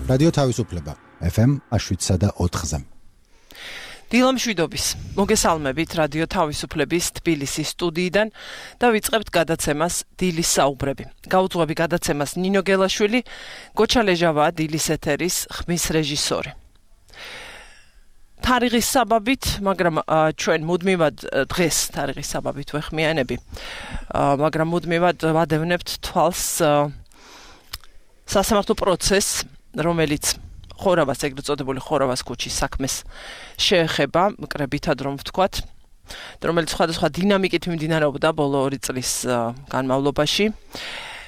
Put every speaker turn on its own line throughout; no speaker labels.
რადიო თავისუფლება FM 7.4-ზე.
დილამშვიდობის მოგესალმებით რადიო თავისუფლების თბილისის სტუდიიდან და ვიწყებთ გადაცემას დილის საუბრები. გაუძღვები გადაცემას ნინო გელაშვილი, გოჩა ლეჟავაა დილის ეთერის ხმის რეჟისორი. თარიღის საბაბით, მაგრამ ჩვენ მუდმივად დღეს თარიღის საბაბით ვეხმიანები, მაგრამ მუდმივად ვადევნებთ თვალს სასამართლო პროცესს, რომელიც ხორავას, ეგრეთ წოდებული ხორავას ქუჩის საქმეს შეეხება, მკრებითად რომ ვთქვათ, რომელიც სხვადასხვა დინამიკით მიმდინარეობდა ბოლო 2 წლის განმავლობაში.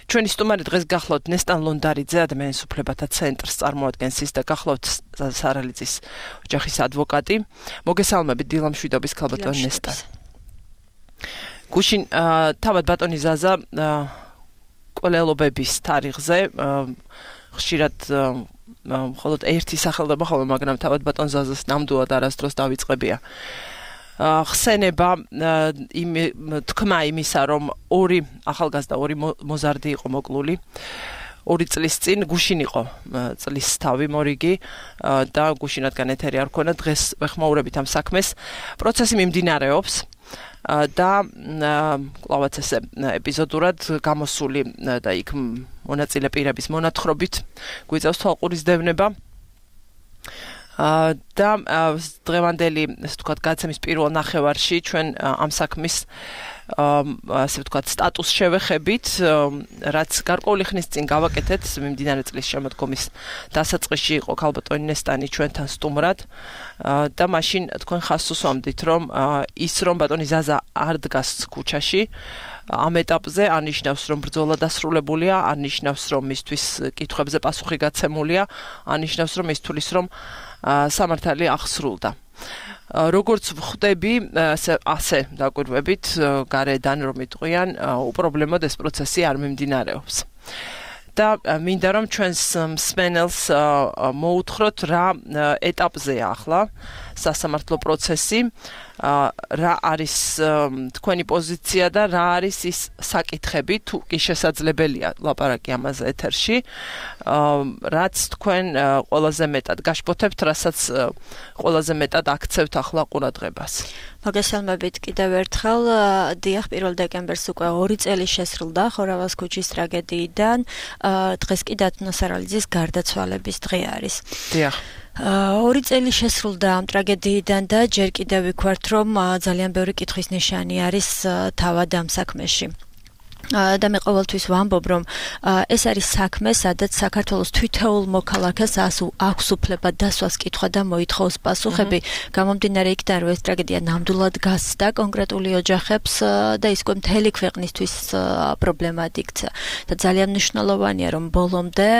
ჩვენი სტუმარი დღეს გახლავთ ნესტან ლონდარიძე, ადამიანის უფლებათა ცენტრს წარმოადგენს ის და გახლავთ სარალიძის ოჯახის ადვოკატი. მოგესალმებით დილამშვიდობის ქალბატონ ნესტან. გუშინ თავად ბატონი ზაზა კოლელობების თარიღზე ხშირად მხოლოდ ერთი სახელდება ხოლმე, მაგრამ თავად ბატონ ზაზას ნამდვილად არასდროს დავიწყებია. ხსენება თქმა იმისა, რომ 2 ახალგაზრდა 2 მოზარდი იყო მოკლული 2 წლის წინ, გუშინ იყო წლის თავი მორიგი და გუშინათგან ეთერი არ ქონა, დღეს ვეხმაურებით ამ საქმეს. პროცესი მიმდინარეობს და კლავაც ესე ეპიზოდურად გამოსული და იქ მონაწილე პირების მონათხრობით გვიწევს თვალყურის დევნება და დღევანდელი, ასე ვთქვათ, გადაცემის პირველ ნახევარში ჩვენ ამ საქმის ასე ვთქვათ სტატუსს შევეხებით, რაც გარკვეული ხნის წინ გავაკეთეთ, მიმდინარე წლის შემოდგომის დასაწყისში იყო ქალბატონი ნესტანი ჩვენთან სტუმრად და მაშინ თქვენ ხაზს უსვამდით, რომ ის რომ ბატონი ზაზა არ დგას ქუჩაში ამ ეტაპზე არ ნიშნავს, რომ ბრძოლა დასრულებულია, არ ნიშნავს, რომ მისთვის კითხვებზე პასუხი გაცემულია, არ ნიშნავს, რომ ის თulis რომ სამართალი აღსრულდა. როგორც ვხვდები, ასე დაკვირვებით, გარედან რომ იტყვიან, უპრობლემოდ ეს პროცესი არ მიმდინარეობს. და მინდა რომ ჩვენს მსმენელს მოუთხროთ რა ეტაპზეა ახლა სასამართლო პროცესი, რა არის თქვენი პოზიცია და რა არის ის საკითხები, თუ კი შესაძლებელია ლაპარაკი ამაზე ეთერში, რაც თქვენ ყველაზე მეტად გაშფოთებთ, რასაც ყველაზე მეტად აქცევთ ახლა ყურადღებას.
მოგესალმებით კიდევ ერთხელ. დიახ, 1 დეკემბერს უკვე 2 წელი შესრულდა ხორავას ქუჩის ტრაგედიიდან. დღეს კი დათნო სარალიძის გარდაცვალების დღე არის.
დიახ.
2 წელი შესრულდა ამ ტრაგედიიდან და ჯერ კიდევ ვიქვართ, რომ ძალიან ბევრი კითხვის ნიშანი არის თავად ამ საქმეში. და მე ყოველთვის ვამბობ, რომ ეს არის საქმე, სადაც საქართველოს თითოეულ მოქალაქეს აქვს უფლება დასვას კითხვა და მოითხოვს პასუხები, გამომდინარე იქიდან, რომ ეს ტრაგედია ნამდვილად გასცდა კონკრეტული ოჯახებს და ის უკვე მთელი ქვეყნისთვის პრობლემად იქცა. და ძალიან მნიშვნელოვანია, რომ ბოლომდე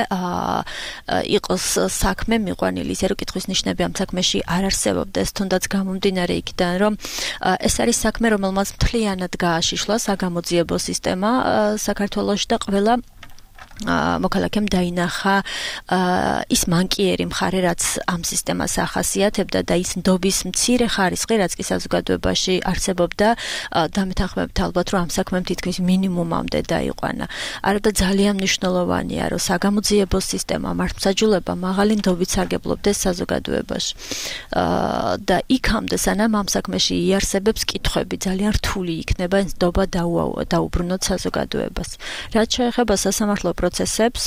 იყოს საქმე მიყვანილი, ისე რომ კითხვის ნიშნები ამ საქმეში არ არსებობდეს, თუნდაც გამომდინარე იქიდან, რომ ეს არის საქმე, რომელმაც მთლიანად გააშიშლა საგამოძიებო სისტემა საქართველოში და ყველა მოქალაქემ დაინახა ის მანკიერი მხარე, რაც ამ სისტემას ახასიათებდა და ის ნდობის მცირე ხარისხი, რაც კი საზოგადოებაში არსებობდა, დამეთანხმებით ალბათ, რომ ამ საქმემ თითქმის მინიმუმამდე დაიყვანა. არადა ძალიან მნიშვნელოვანია, რომ საგამოძიებო სისტემა, მართლმსაჯულება მაღალი ნდობით სარგებლობდეს საზოგადოებაში. და იქამდე, სანამ ამ საქმეში იარსებებს კითხვები, ძალიან რთული იქნება ეს ნდობა დაუბრუნოთ საზოგადოებას. რაც შეეხება სასამართლო პროცესებს,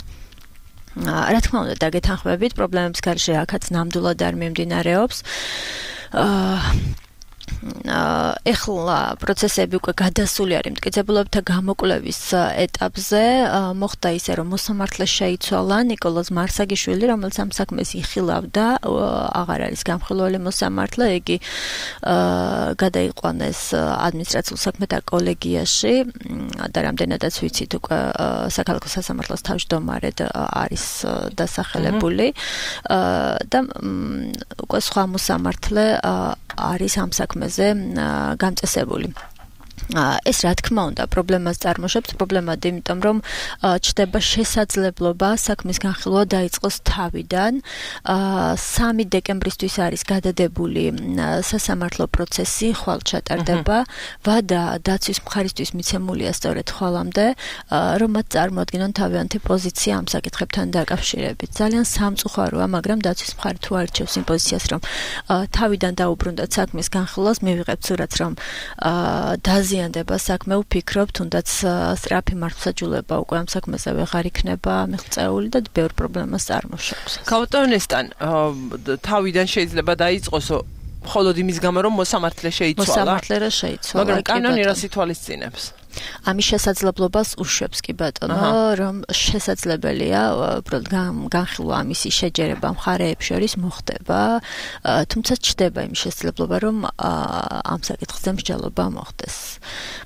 რა თქმა უნდა, დაგეთანხმებით, პრობლემების გარშე აქაც ნამდვილად არ მიმდინარეობს. ეხლა პროცესები უკვე გადასული არის მტკიცებულებთა გამოკვლევის ეტაპზე. მოხდა ისე, რომ მოსამართლე შეიცვალა ნიკოლოზ მარსაგიშვილი, რომელიც ამ საქმეს იხილავდა, აღარ არის გამხილველი მოსამართლე, იგი გადაიყვანეს ადმინისტრაციულ საქმეთა კოლეგიაში და რამდენადაც ვიცით, უკვე საქალაქო სასამართლოს თავმჯდომარედ არის დასახელებული და უკვე სხვა მოსამართლე არის ამ საქმეზე გამწესებული. ეს რა თქმა უნდა პრობლემას წარმოშობს, პრობლემად, იმიტომ რომ ჩდება შესაძლებლობა საქმის განხილვა დაიწყოს თავიდან. 3 დეკემბრისთვის არის გადადებული სასამართლო პროცესი, ხვალ ჩატარდება. ვადა დაცვის მხარისთვის მიცემულია სწორედ ხვალამდე, რომ მათ წარმოადგინონ თავიანთი პოზიცია ამ საკითხებთან დაკავშირებით. ძალიან სამწუხაროა, მაგრამ დაცვის მხარი თუ არჩევს იმ პოზიციას, რომ თავიდან დაუბრუნდათ საქმის განხილვას, მივიღებთ სურათს, რომ დაზიანდება საქმე, ვფიქრობ, თუნდაც სწრაფი მართლმსაჯულება უკვე ამ საქმეზე ვეღარ იქნება მიღწეული და ბევრ პრობლემას წარმოშობს.
ქალბატონესთან თავიდან შეიძლება დაიწყოს მხოლოდ იმის გამო, რომ მოსამართლე შეიცვალა.
მოსამართლე რა შეიცვალა.
მაგრამ კანონი რას ითვალისწინებს?
ამის შესაძლებლობას უშვებს კი ბატონო, რომ შესაძლებელია უბრალოდ განხილვა ამისი შეჯერება მხარეებს შორის მოხდება, თუმცა ჩდება იმის შესაძლებლობა, რომ ამ საკითხზე მსჯელობა მოხდეს.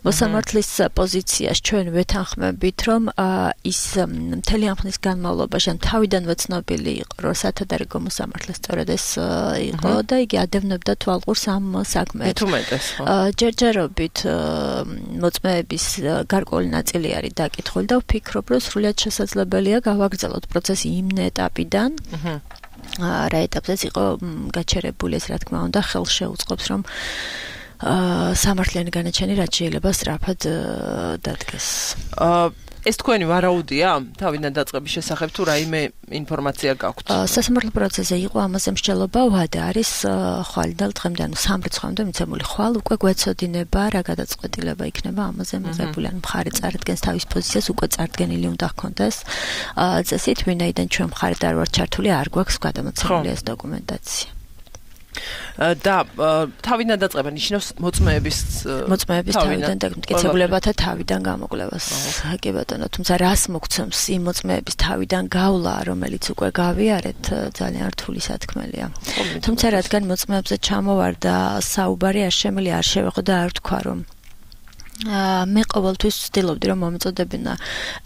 მოსამართლის პოზიციას ჩვენ ვეთანხმებით, რომ ის მთელი ამ ხნის განმავლობაში თავიდანვე ცნობილი იყო, რომ სათადარიგო მოსამართლე სწორედ ეს იყო და იგი ადევნებდა თვალყურს ამ საქმეებს. ჯერჯერობით მოწმეების გარკვეული ნაწილი არის დაკითხული და ვფიქრობ, რომ სრულიად შესაძლებელია გავაგრძელოთ პროცესი იმ ეტაპიდან. რა ეტაპზეც იყო გაჩერებული, ეს რა თქმა უნდა ხელს შეუწყობს, რომ სამართლიანი განაჩენი რაც შეიძლება სწრაფად დადგეს.
ეს თქვენი ვარაუდია თავიდან დაწყების შესახებ თუ რაიმე ინფორმაცია გაქვთ?
სასამართლო პროცესზე იყო ამაზე მსჯელობა, ვადა არის ხვალიდან დღემდე, ანუ 3 რიცხვამდე მიცემული. ხვალ უკვე გვეცოდინება რა გადაწყვეტილება იქნება ამაზე მიღებული, ანუ მხარი წარადგენს თავის პოზიციას, უკვე წარდგენილი უნდა ჰქონდეს. წესით, ვინაიდან ჩვენ მხარით არ ვართ ჩართული, არ გვაქვს გადამოცემული ეს დოკუმენტაცია.
და თავიდან დაწყება ნიშნავს მოწმეების
თავიდან მტკიცებულებათა თავიდან გამოკვლევას. კი ბატონო, თუმცა რას მოგცემს იმ მოწმეების თავიდან გავლა, რომელიც უკვე გავიარეთ, ძალიან რთული სათქმელია. თუმცა რადგან მოწმეებზე ჩამოვარდა საუბარი, არ შემილი არ შევეღო და არ ვთქვა, რომ მე ყოველთვის ვცდილობდი, რომ მომეწოდებინა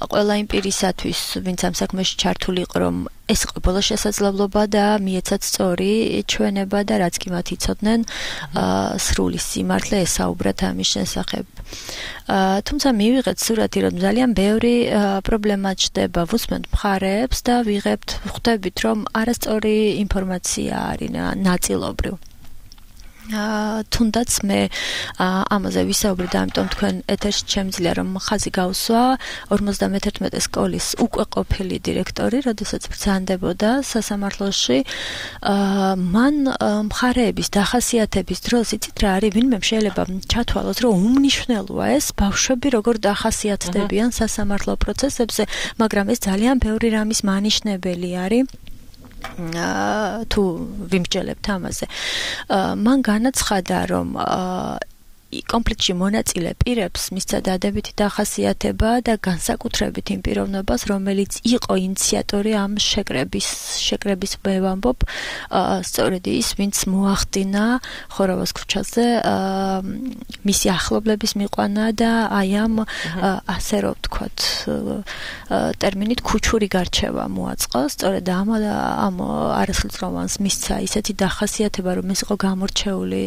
ყველა იმ პირისათვის, ვინც ამ საქმეში ჩართული იყო, რომ ეს იყო ბოლო შესაძლებლობა და მიეცათ სწორი ჩვენება და რაც კი მათ იცოდნენ, სრული სიმართლე ესაუბრათ ამის შესახებ. თუმცა მივიღეთ სურათი, რომ ძალიან ბევრი პრობლემა ჩდება, ვუსმენთ მხარეებს და ხვდებით, რომ არასწორი ინფორმაცია არის ნაწილობრივ. თუნდაც მე ამაზე ვისაუბრე და ამიტომ თქვენ ეთერში შემიძლია რომ ხაზი გავსვა 51 სკოლის უკვე ყოფილი დირექტორი, როდესაც ბრძანდებოდა სასამართლოში, მან მხარეების დახასიათების დროს იცით რა არის, ვინმე შეიძლება ჩათვალოს, რომ უმნიშვნელოა ეს ბავშვები როგორ დახასიათდებიან სასამართლო პროცესებზე, მაგრამ ეს ძალიან ბევრი რამის მანიშნებელი არის. თუ ვიმსჯელებთ ამაზე. მან განაცხადა, რომ კონფლიქტში მონაწილე პირებს მისცა დადებითი დახასიათება და განსაკუთრებით იმ პიროვნებას, რომელიც იყო ინიციატორი ამ შეკრების ვამბობ, სწორედ ის, ვინც მოახდინა ხორავას ქუჩაზე მისი ახლობლების მიყვანა და აი ამ ასე რომ ვთქვათ ტერმინით ქუჩური გარჩევა მოაწყო, სწორედ ამ არასრულწლოვანს მისცა ისეთი დახასიათება, რომ ეს იყო გამორჩეული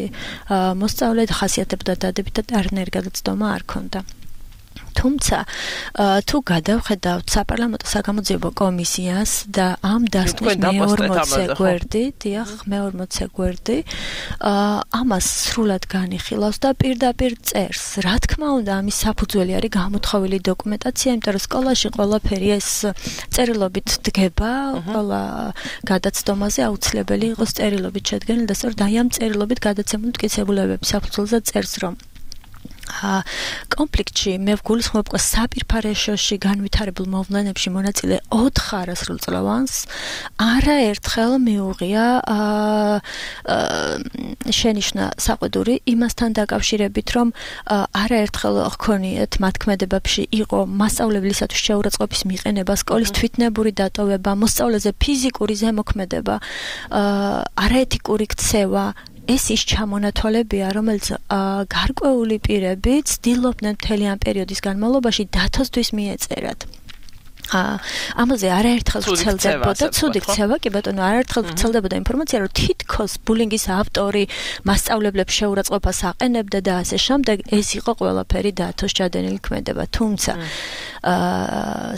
მოსწავლე, ხასიათებდა დადებითად არანაირი გადაცდომა არ ქონდა. თუმცა თუ გადავხედავთ საპარლამენტო საგამოძიებო კომისიას და ამ დასკვნის მე-40 გვერდი, ამას სრულად განიხილავს და პირდაპირ წერს. რა თქმა უნდა, ამის საფუძველი არის გამოთხოვილი დოკუმენტაცია, იმიტომ რომ სკოლაში ყველაფერი ეს წერილობით დგება, ყველა გადაცდომაზე აუცილებელი იყოს წერილობით შედგენილი და სწორედ აი ამ წერილობით გადაცემული მტკიცებულებების საფუძველზე წერს, რომ კონფლიქტში მე ვგულისხმობ საპირფარეშოში განვითარებულ მოვლენებში მონაწილე 4 არასრულწლოვანს არაერთხელ მიუღია შენიშვნა საყვედური იმასთან დაკავშირებით, რომ არაერთხელ ჰქონიათ მათქმედებებში იყო მასწავლებლისათვის შეურაცხყოფის მიყენება, სკოლის თვითნებური დატოვება, მოსწავლეზე ფიზიკური ზემოქმედება, არაეთიკური ქცევა. ეს ის ჩამონათვალებია, რომელიც გარკვეული პირები ცდილობდნენ მთელი ამ პერიოდის განმავლობაში დათოსთვის მიეწერათ. ამაზე არაერთხელ ვრცელდებოდა ცუდი ქცევა, კი ბატონო, არაერთხელ ვრცელდებოდა ინფორმაცია, რომ თითქოს ბულინგის ავტორი მასწავლებლებს შეურაცხყოფას აყენებდა და ასე შემდეგ, ეს იყო ყველაფერი დათოს ჩადენილი ქმედება. თუმცა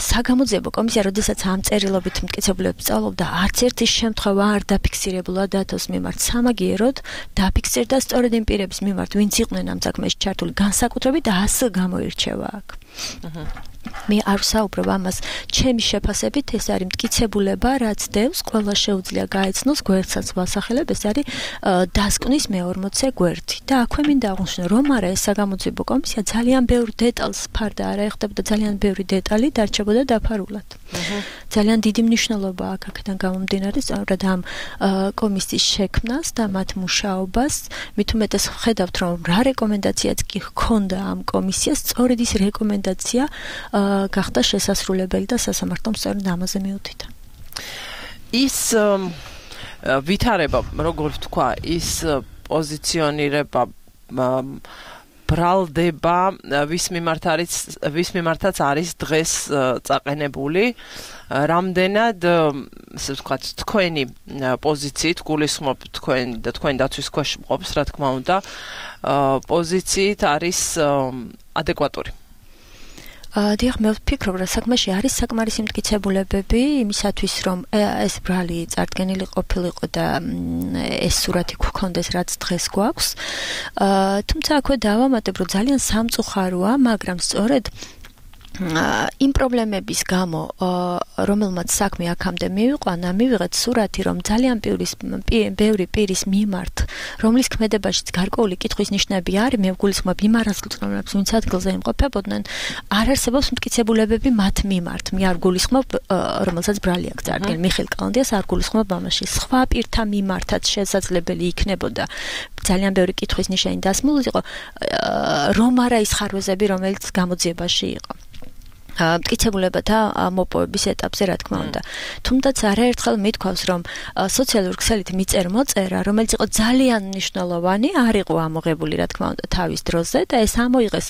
საგამოძიებო კომისია, როდესაც ამ წერილობით მტკიცებულებს სწავლობდა, არც ერთი შემთხვევა არ დაფიქსირებულა დათოს მიმართ. სამაგიეროდ დაფიქსირდა სწორედ იმ პირების მიმართ, ვინც იყვნენ ამ საქმეში ჩართული განსაკუთრებით და ასე გამოირჩევა აქ. მე არ ვსაუბრობ ამას ჩემი შეფასებით, ეს არის მტკიცებულება, რაც დევს, ყველა შეუძლია გაეცნოს გვერდსაც ვასახელებ, ეს არის დასკვნის მე-40 გვერდი. და აქვე მინდა აღვნიშნო, რომ არა ეს საგამოძიებო კომისია ძალიან ბევრ დეტალს ფარდა არ აეხდებოდა, ძალიან ბევრი დეტალი დარჩებოდა დაფარულად. ძალიან დიდი მნიშვნელობა აქვს აქედან გამომდინარე სწორედ ამ კომისიის შექმნას და მათ მუშაობას. მით უმეტეს ხედავთ, რომ რა რეკომენდაციაც კი ჰქონდა ამ კომისიას, სწორედ ის რეკომენდაცია გახდა შესასრულებელი და სასამართლომ სწორედ ამაზე მიუთითა.
ის ვითარება, როგორ ვთქვა, ის პოზიციონირება ბრალდება ვის მიმართაც არის დღეს წაყენებული, რამდენად ასე ვთქვათ, თქვენი პოზიციით გულისხმობ თქვენი დაცვის ქვეშ მყოფს, რა თქმა უნდა, პოზიციით არის ადეკვატური.
დიახ, მე ვფიქრობ, რომ საქმეში არის საკმარისი მტკიცებულებები იმისათვის, რომ ეს ბრალი წარდგენილი ყოფილიყო და ეს სურათი გქონდეს, რაც დღეს გვაქვს. თუმცა აქვე დავამატებ, რომ ძალიან სამწუხაროა, მაგრამ სწორედ იმ პრობლემების გამო, რომელმაც საქმე აქამდე მივიყვანა, მივიღეთ სურათი, რომ ძალიან ბევრი პირის მიმართ, რომლის ქმედებაშიც გარკვეული კითხვის ნიშნები არის, მე ვგულისხმობ იმ არასრულწლოვნებს, ვინც ადგილზე იმყოფებოდნენ, არ არსებობს მტკიცებულებები მათ მიმართ. მე არ ვგულისხმობ, რომელსაც ბრალი აქვს წარდგენილი, მიხეილ კალანდიას არ ვგულისხმობ ამაში. სხვა პირთა მიმართაც შესაძლებელი იქნებოდა ძალიან ბევრი კითხვის ნიშანი დასმულიყო, რომ არა ის ხარვეზები, რომელიც გამოძიებაში იყო. მტკიცებულებათა მოპოვების ეტაპზე, რა თქმა უნდა. თუმცა არაერთხელ მithქვავს, რომ სოციალურ ქსელით მიწერ-მოწერა, რომელიც იყო ძალიან მნიშვნელოვანი, არ იყო ამოღებული, რა თქმა უნდა, თავის დროზე და ეს ამოიღეს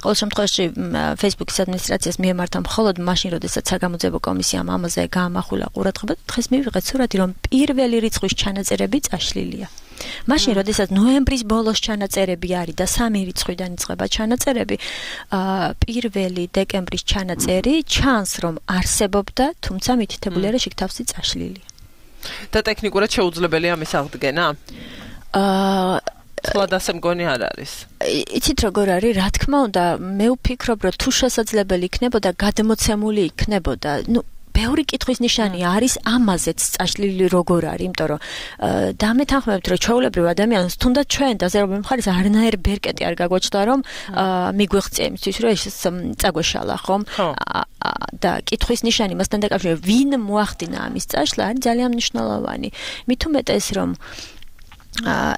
ყოველ შემთხვევაში Facebook-ის ადმინისტრაციას მიემართა მხოლოდ მაშინ, როდესაც საგამოძიებო კომისიამ ამაზე გაამახვილა ყურადღება და დღეს მივიღეთ სურათი, რომ პირველი რიცხვის ჩანაწერები წაშლილია. მაშინ, როდესაც ნოემბრის ბოლოს ჩანაწერები არის და 3 რიცხვიდან იწყება ჩანაწერები, 1 დეკემბრის ჩანაწერი ჩანს, რომ არსებობდა, თუმცა მითითებული არის იქ თავსი წაშლილი.
და ტექნიკურად შეუძლებელია მის აღდგენა? თვალად ასე მგონი არ არის.
იცით როგორ არის, რა თქმა უნდა, მე ვფიქრობ, რომ თუ შესაძლებელი იქნებოდა, გადმოცემული იქნებოდა, ბევრი კითხვის ნიშანი არის ამაზეც წაშლილი როგორ არის, იმიტომ რომ დამეთანხმებთ, რომ ჩვეულებრივ ადამიანს თუნდაც ჩვენ დაზერობენ მხარეს არნაირი ბერკეტი არ გაგვაჩნდა, რომ მიგვეღწია იმისთვის, რომ ეს წაგვეშალა, ხომ? და კითხვის ნიშანი მასთან დაკავშირებით, ვინ მოახდინა ამის წაშლა, არის ძალიან მნიშვნელოვანი. მით უმეტეს, რომ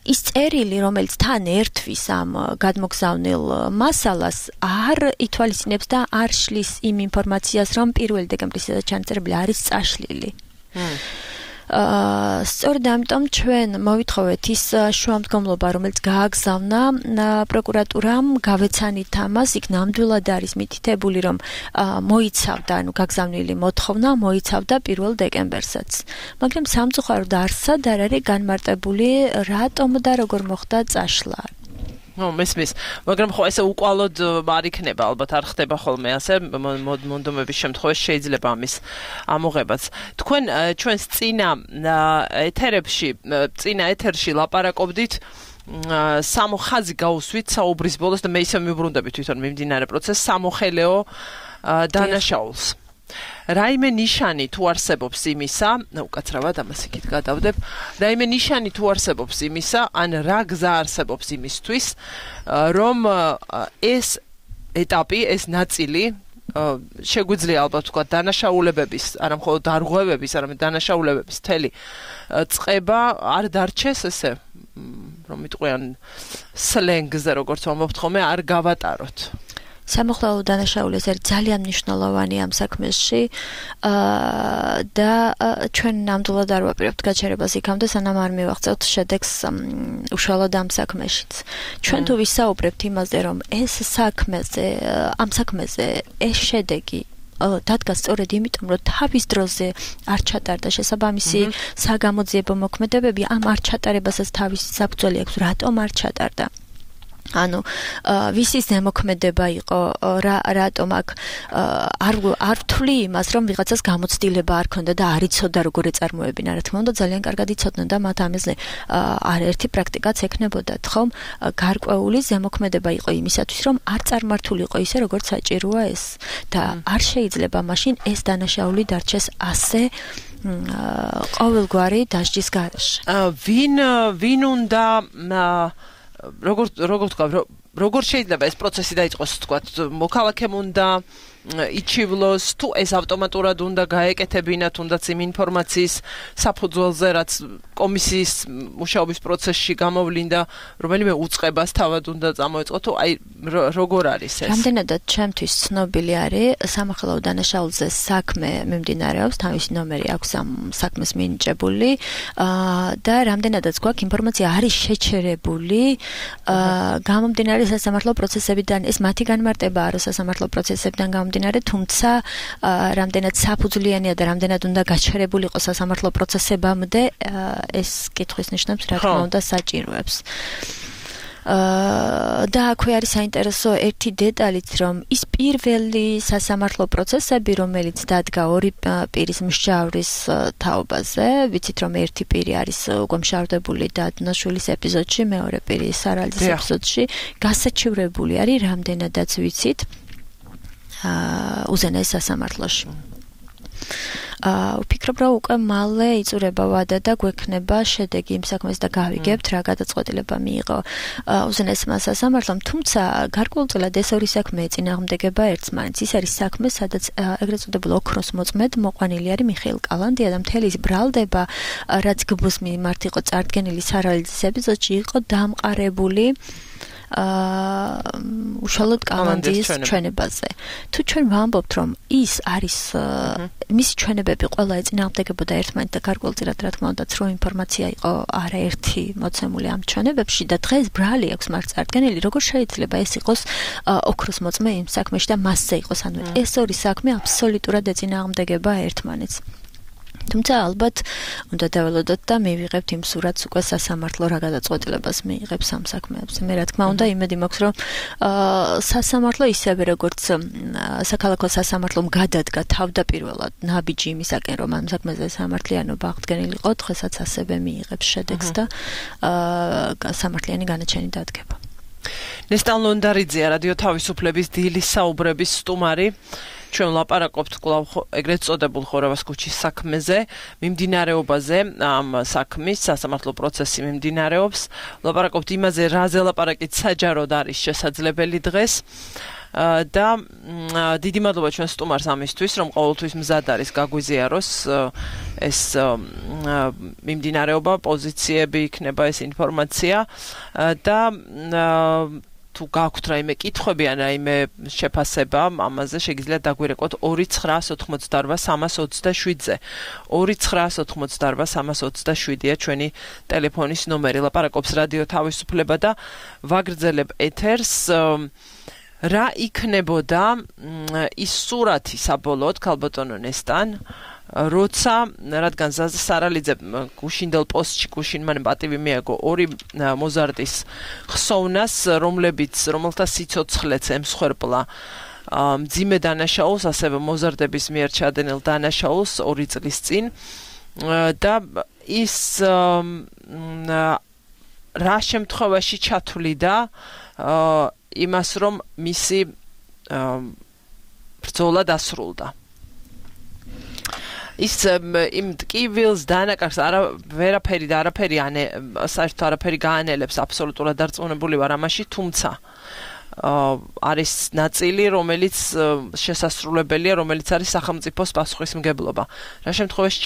ის წერილი, რომელიც თან ერთვის ამ გადმოგზავნილ მასალას, არ ითვალისწინებს და არ შლის იმ ინფორმაციას, რომ 1 დეკემბრის ჩანაწერები არის წაშლილი. სწორედ ამიტომ ჩვენ მოვითხოვეთ ის შუამდგომლობა, რომელიც გააგზავნა პროკურატურამ, გავეცანით ამას, იქ ნამდვილად არის მითითებული, რომ მოიცავდა, გაგზავნილი მოთხოვნა მოიცავდა 1 დეკემბერსაც. მაგრამ სამწუხაროდ არსად არ არის განმარტებული, რატომ და როგორ მოხდა წაშლა.
მესმის, მაგრამ ხო ესე უკვალოდ არ იქნება, ალბათ არ ხდება ხოლმე ასე მონდომების შემთხვევაში შეიძლება ამის ამოღებაც. თქვენ ჩვენს წინა ეთერში ლაპარაკობდით სამოხაზი გაუსვით საუბრის ბოლოს და მე ისე მიუბრუნდები თვითონ მიმდინარე პროცესს სამოხელეო დანაშაულს. რაიმე ნიშანი თუ არსებობს იმისა, უკაცრავად ამას იქით გადავდებ, რაიმე ნიშანი თუ არსებობს იმისა, ან რა გზა არსებობს იმისთვის, რომ ეს ეტაპი, ეს ნაწილი შეგვიძლია ალბათ თქვა დანაშაულებების, არა მხოლოდ დარღვევების, არამედ დანაშაულებების მთელი წყება არ დარჩეს ესე, რომ იტყვიან სლენგზე, როგორც ვამბობთ ხოლმე, არ გავატაროთ.
სამოხელეო დანაშაული ეს არის ძალიან მნიშვნელოვანი ამ საქმეში და ჩვენ ნამდვილად არ ვაპირებთ გაჩერებას იქამდე, სანამ არ მივაღწევთ შედეგს უშუალოდ ამ საქმეშიც. ჩვენ თუ ვისაუბრებთ იმაზე, რომ ამ საქმეზე ეს შედეგი დადგა სწორედ იმიტომ, რომ თავის დროზე არ ჩატარდა შესაბამისი საგამოძიებო მოქმედებები, ამ არ ჩატარებასაც თავისი საფუძველი აქვს, რატომ არ ჩატარდა. ანუ ვისი ზემოქმედება იყო რატომ აქ არ ვთვლი იმას რომ ვიღაცას გამოცდილება არ ქონდა და არ იცოდა როგორ ეწარმოებინა რა თქმა უნდა ძალიან კარგად იცოდნენ და მათ ამაზე არაერთი პრაქტიკაც ექნებოდათ ხომ გარკვეული ზემოქმედება იყო იმისათვის რომ არ წარმართულიყო ისე როგორც საჭიროა ეს და არ შეიძლება მაშინ ეს დანაშაული დარჩეს ასე ყოველგვარი დასჯის გარეშე
ვინ უნდა როგორ შეიძლება ეს პროცესი დაიწყოს თქვათ მოქალაქემ უნდა იჩივლოს თუ ეს ავტომატურად უნდა გაეკეთებინათ თუნდაც იმ ინფორმაციის საფუძველზე რაც კომისიის მუშაობის პროცესში გამოვლინდა რომელიმე უწყებას თავად უნდა წამოეწყო თუ აი როგორ არის ეს
რამდენადაც ჩემთვის ცნობილი არის სამართლებრივ დანაშაულზე საქმე მიმდინარეობს თავისი ნომერი აქვს ამ საქმეს მინიჭებული და რამდენადაც გვაქვს ინფორმაცია არის შეჩერებული გამომდინარე სასამართლო პროცესებიდან ეს მათი განმარტებაა რომ სასამართლო პროცესებიდან თუმცა რამდენად საფუძვლიანია და რამდენად უნდა გაჩერებულიყო სასამართლო პროცესებამდე ეს კითხვის ნიშნებს რა თქმა უნდა საჭიროებს და აქვე არის საინტერესო ერთი დეტალიც რომ ის პირველი სასამართლო პროცესები რომელიც დადგა ორი პირის მსჯავრის თაობაზე ვიცით რომ ერთი პირი არის უკვე მშავდებული და დნაშვილის ეპიზოდში მეორე პირი სარალის ეპიზოდში გასაჩივრებული არის რამდენადაც ვიცით უზენაეს სასამართლოში. ვფიქრობ, რომ უკვე მალე იწურება ვადა და გვექნება შედეგი იმ საქმეს და გავიგებთ რა გადაწყვეტილება მიიღო უზენაესმა სასამართლომ, თუმცა გარკვეულწილად ეს ორი საქმე ეწინააღმდეგება ერთმანეთს. ის არის საქმე, სადაც ეგრეთ წოდებულ ოქროს მოწმედ მოყვანილი არის მიხეილ კალანდია და მთელი ის ბრალდება, რაც გბოს მიმართ იყო წარდგენილი სარალიძის ეპიზოდში, იყო დამყარებული უშუალოდ კალანდიის ჩვენებაზე. თუ ჩვენ ვამბობთ, რომ ის არის მისი ჩვენებები ყველა ეწინააღმდეგებოდა ერთმანეთს და გარკვეულწილად რა თქმა უნდა ცრო ინფორმაცია იყო არაერთი მოცემული ამ ჩვენებებში და დღეს ბრალი აქვს მართ წარდგენილი, როგორ შეიძლება ეს იყოს ოქროს მოწმე იმ საქმეში და მასზე იყოს, ანუ ეს ორი საქმე აბსოლუტურად ეწინააღმდეგება ერთმანეთს. თუმცა ალბათ უნდა დაველოდოთ და მივიღებთ იმ სურათს უკვე სასამართლო რა გადაწყვეტილებას მიიღებს ამ საქმეებზე. მე რა თქმა უნდა იმედი მაქვს რომ სასამართლო ისევე როგორც საქალაქო სასამართლომ გადადგა თავდაპირველად ნაბიჯი იმისაკენ რომ ამ საქმეზე სამართლიანობა აღდგენილიყო, დღესაც ასევე მიიღებს შედეგს და სამართლიანი განაჩენი დადგება.
ნესტან ლონდარიძეა რადიო თავისუფლების დილის საუბრების სტუმარი. ჩვენ ლაპარაკობთ კვლავ ეგრეთ წოდებულ ხორავას ქუჩის საქმეზე, მიმდინარეობაზე, ამ საქმის სასამართლო პროცესი მიმდინარეობს. ლაპარაკობთ იმაზე, რაზე ლაპარაკით საჯაროდ არის შესაძლებელი დღეს. და დიდი მადლობა ჩვენ სტუმარს ამისთვის, რომ ყოველთვის მზად არის გაგვიზიაროს ეს მიმდინარეობა, პოზიციები იქნება ეს ინფორმაცია და თუ გაქვთ რაიმე კითხვები ან რაიმე შეფასება ამაზე შეგიძლიათ დაგვირეკოთ 2988327-ზე 2988327-ია ჩვენი ტელეფონის ნომერი. ლაპარაკობს რადიო თავისუფლება და ვაგრძელებ ეთერს. რა იქნებოდა ის სურათი საბოლოოდ ქალბატონო ნესტან როცა რადგან ზაზა სარალიძე გუშინდელ პოსტში გუშინმან პატივი მიაგო ორი მოზარდის ხსოვნას რომელთა სიცოცხლეც ემსხვერპლა მძიმე დანაშაულს ასევე მოზარდების მიერ ჩადენილ დანაშაულს 2 წლის წინ და ის რა შემთხვევაში ჩათვლიდა იმას რომ მისი ბრძოლა დასრულდა. ის იმ ტკივილს დანაკარს ვერაფერი და არაფერი საერთოდ არაფერი გაანელებს აბსოლუტურად დარწმუნებული ვარ ამაში, თუმცა არის ნაწილი რომელიც შესასრულებელია, რომელიც არის სახელმწიფოს პასუხისმგებლობა. რა შემთხვევაში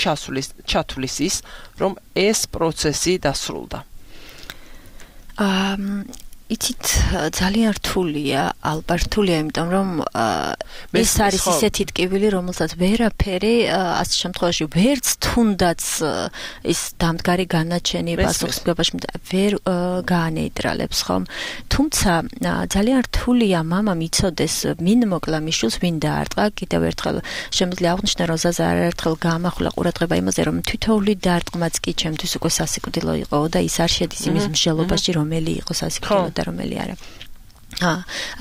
ჩათვლის ის რომ ეს პროცესი დასრულდა.
იცით ძალიან რთულია, ალბართულია, იმიტომ რომ ეს არის ისეთი ტკივილი, რომელსაც ვერაფერი ასეთ შემთხვევაში ვერც თუნდაც ის დამდგარი განაჩენი პასუხისმგებაში ვერ გაანეიტრალებს, ხომ? თუმცა ძალიან რთულია მამამ იცოდეს, ვინ მოკლა მიშულს, ვინ დაარტყა. კიდევ ერთხელ შემიძლია აღვნიშნო, რომ ზაზა არაერთხელ გაამახვილა ყურადღება იმაზე, რომ თითოეული დარტყმაც კი ჩემთვის უკვე სასიკვდილო იყო და ის არ შედის იმის მსჯელობაში, რომელი იყო სასიკვდილო და რომელი არა.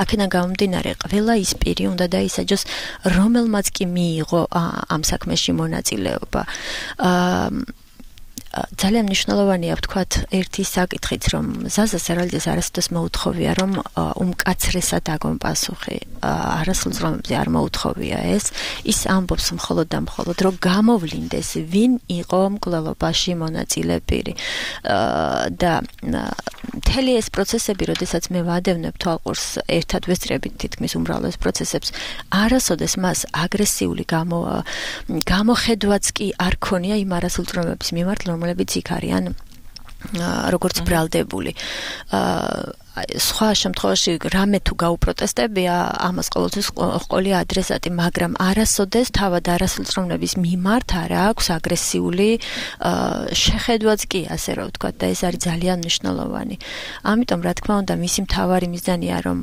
აქედან გამომდინარე, ყველა ის პირი უნდა დაისაჯოს, რომელმაც კი მიიღო ამ საქმეში მონაწილეობა. ძალიან მნიშვნელოვანია ვთქვათ ერთი საკითხიც, რომ ზაზას არალდეს არასოდეს მოუთხოვია, რომ უმკაცრესად აგონ პასუხი. არასოდეს რომებზე არ მოუთხოვია ეს. ის ამბობს მხოლოდ და მხოლოდ, რომ გამოვლინდეს, ვინ იყო მკვლელობაში მონაწილე პირი. და მთელი ეს პროცესები, როდესაც მე ვადევნებ თვალყურს, ერთად ვესწრებით თითქმის უმრავლეს პროცესებს, არასოდეს მას აგრესიული გამოხედვაც კი არ ქონია იმ არასრულწლოვანების მიმართ, რომლებიც იქ არიან როგორც ბრალდებული. სხვა შემთხვევაში რამე თუ გაუპროტესტებია, ამას ყოველთვის ყოლია ადრესატი, მაგრამ არასოდეს თავად არასრულწლოვნების მიმართ არ აქვს აგრესიული შეხედვაც კი, ასე რომ ვთქვათ, და ეს არის ძალიან მნიშვნელოვანი. ამიტომ, რა თქმა უნდა, მისი მთავარი მიზანია, რომ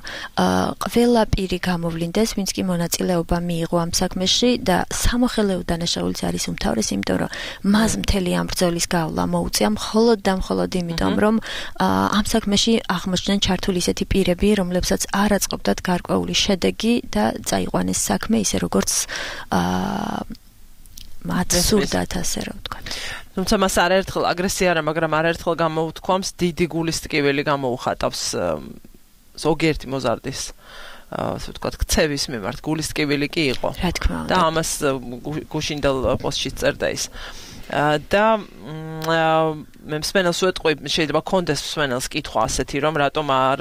ყველა პირი გამოვლინდეს, ვინც კი მონაწილეობა მიიღო ამ საქმეში და სამოხელეო დანაშაულიც არის უმთავრესი, იმიტომ რომ მას მთელი ამ ბრძოლის გავლა მოუწია მხოლოდ და მხოლოდ იმიტომ, რომ ამ საქმეში აღმოჩნდნენ ჩართული ისეთი პირები, რომლებსაც არ აწყობდათ გარკვეული შედეგი და წაიყვანეს საქმე ისე როგორც მათ სურდათ, ასე რომ ვთქვათ.
თუმცა მას არაერთხელ აგრესია არა, მაგრამ არაერთხელ გამოუთქვამს დიდი გულის ტკივილი გამოუხატავს ზოგიერთი მოზარდის ასე ვთქვათ, ქცევის მიმართ გულის ტკივილი კი იყო.
რა თქმა უნდა.
და ამას გუშინდელ პოსტში წერდა ის. და მე მსმენელს ვეტყვი, შეიძლება კონდეს მსმენელს კითხვა ასეთი, რომ რატომ არ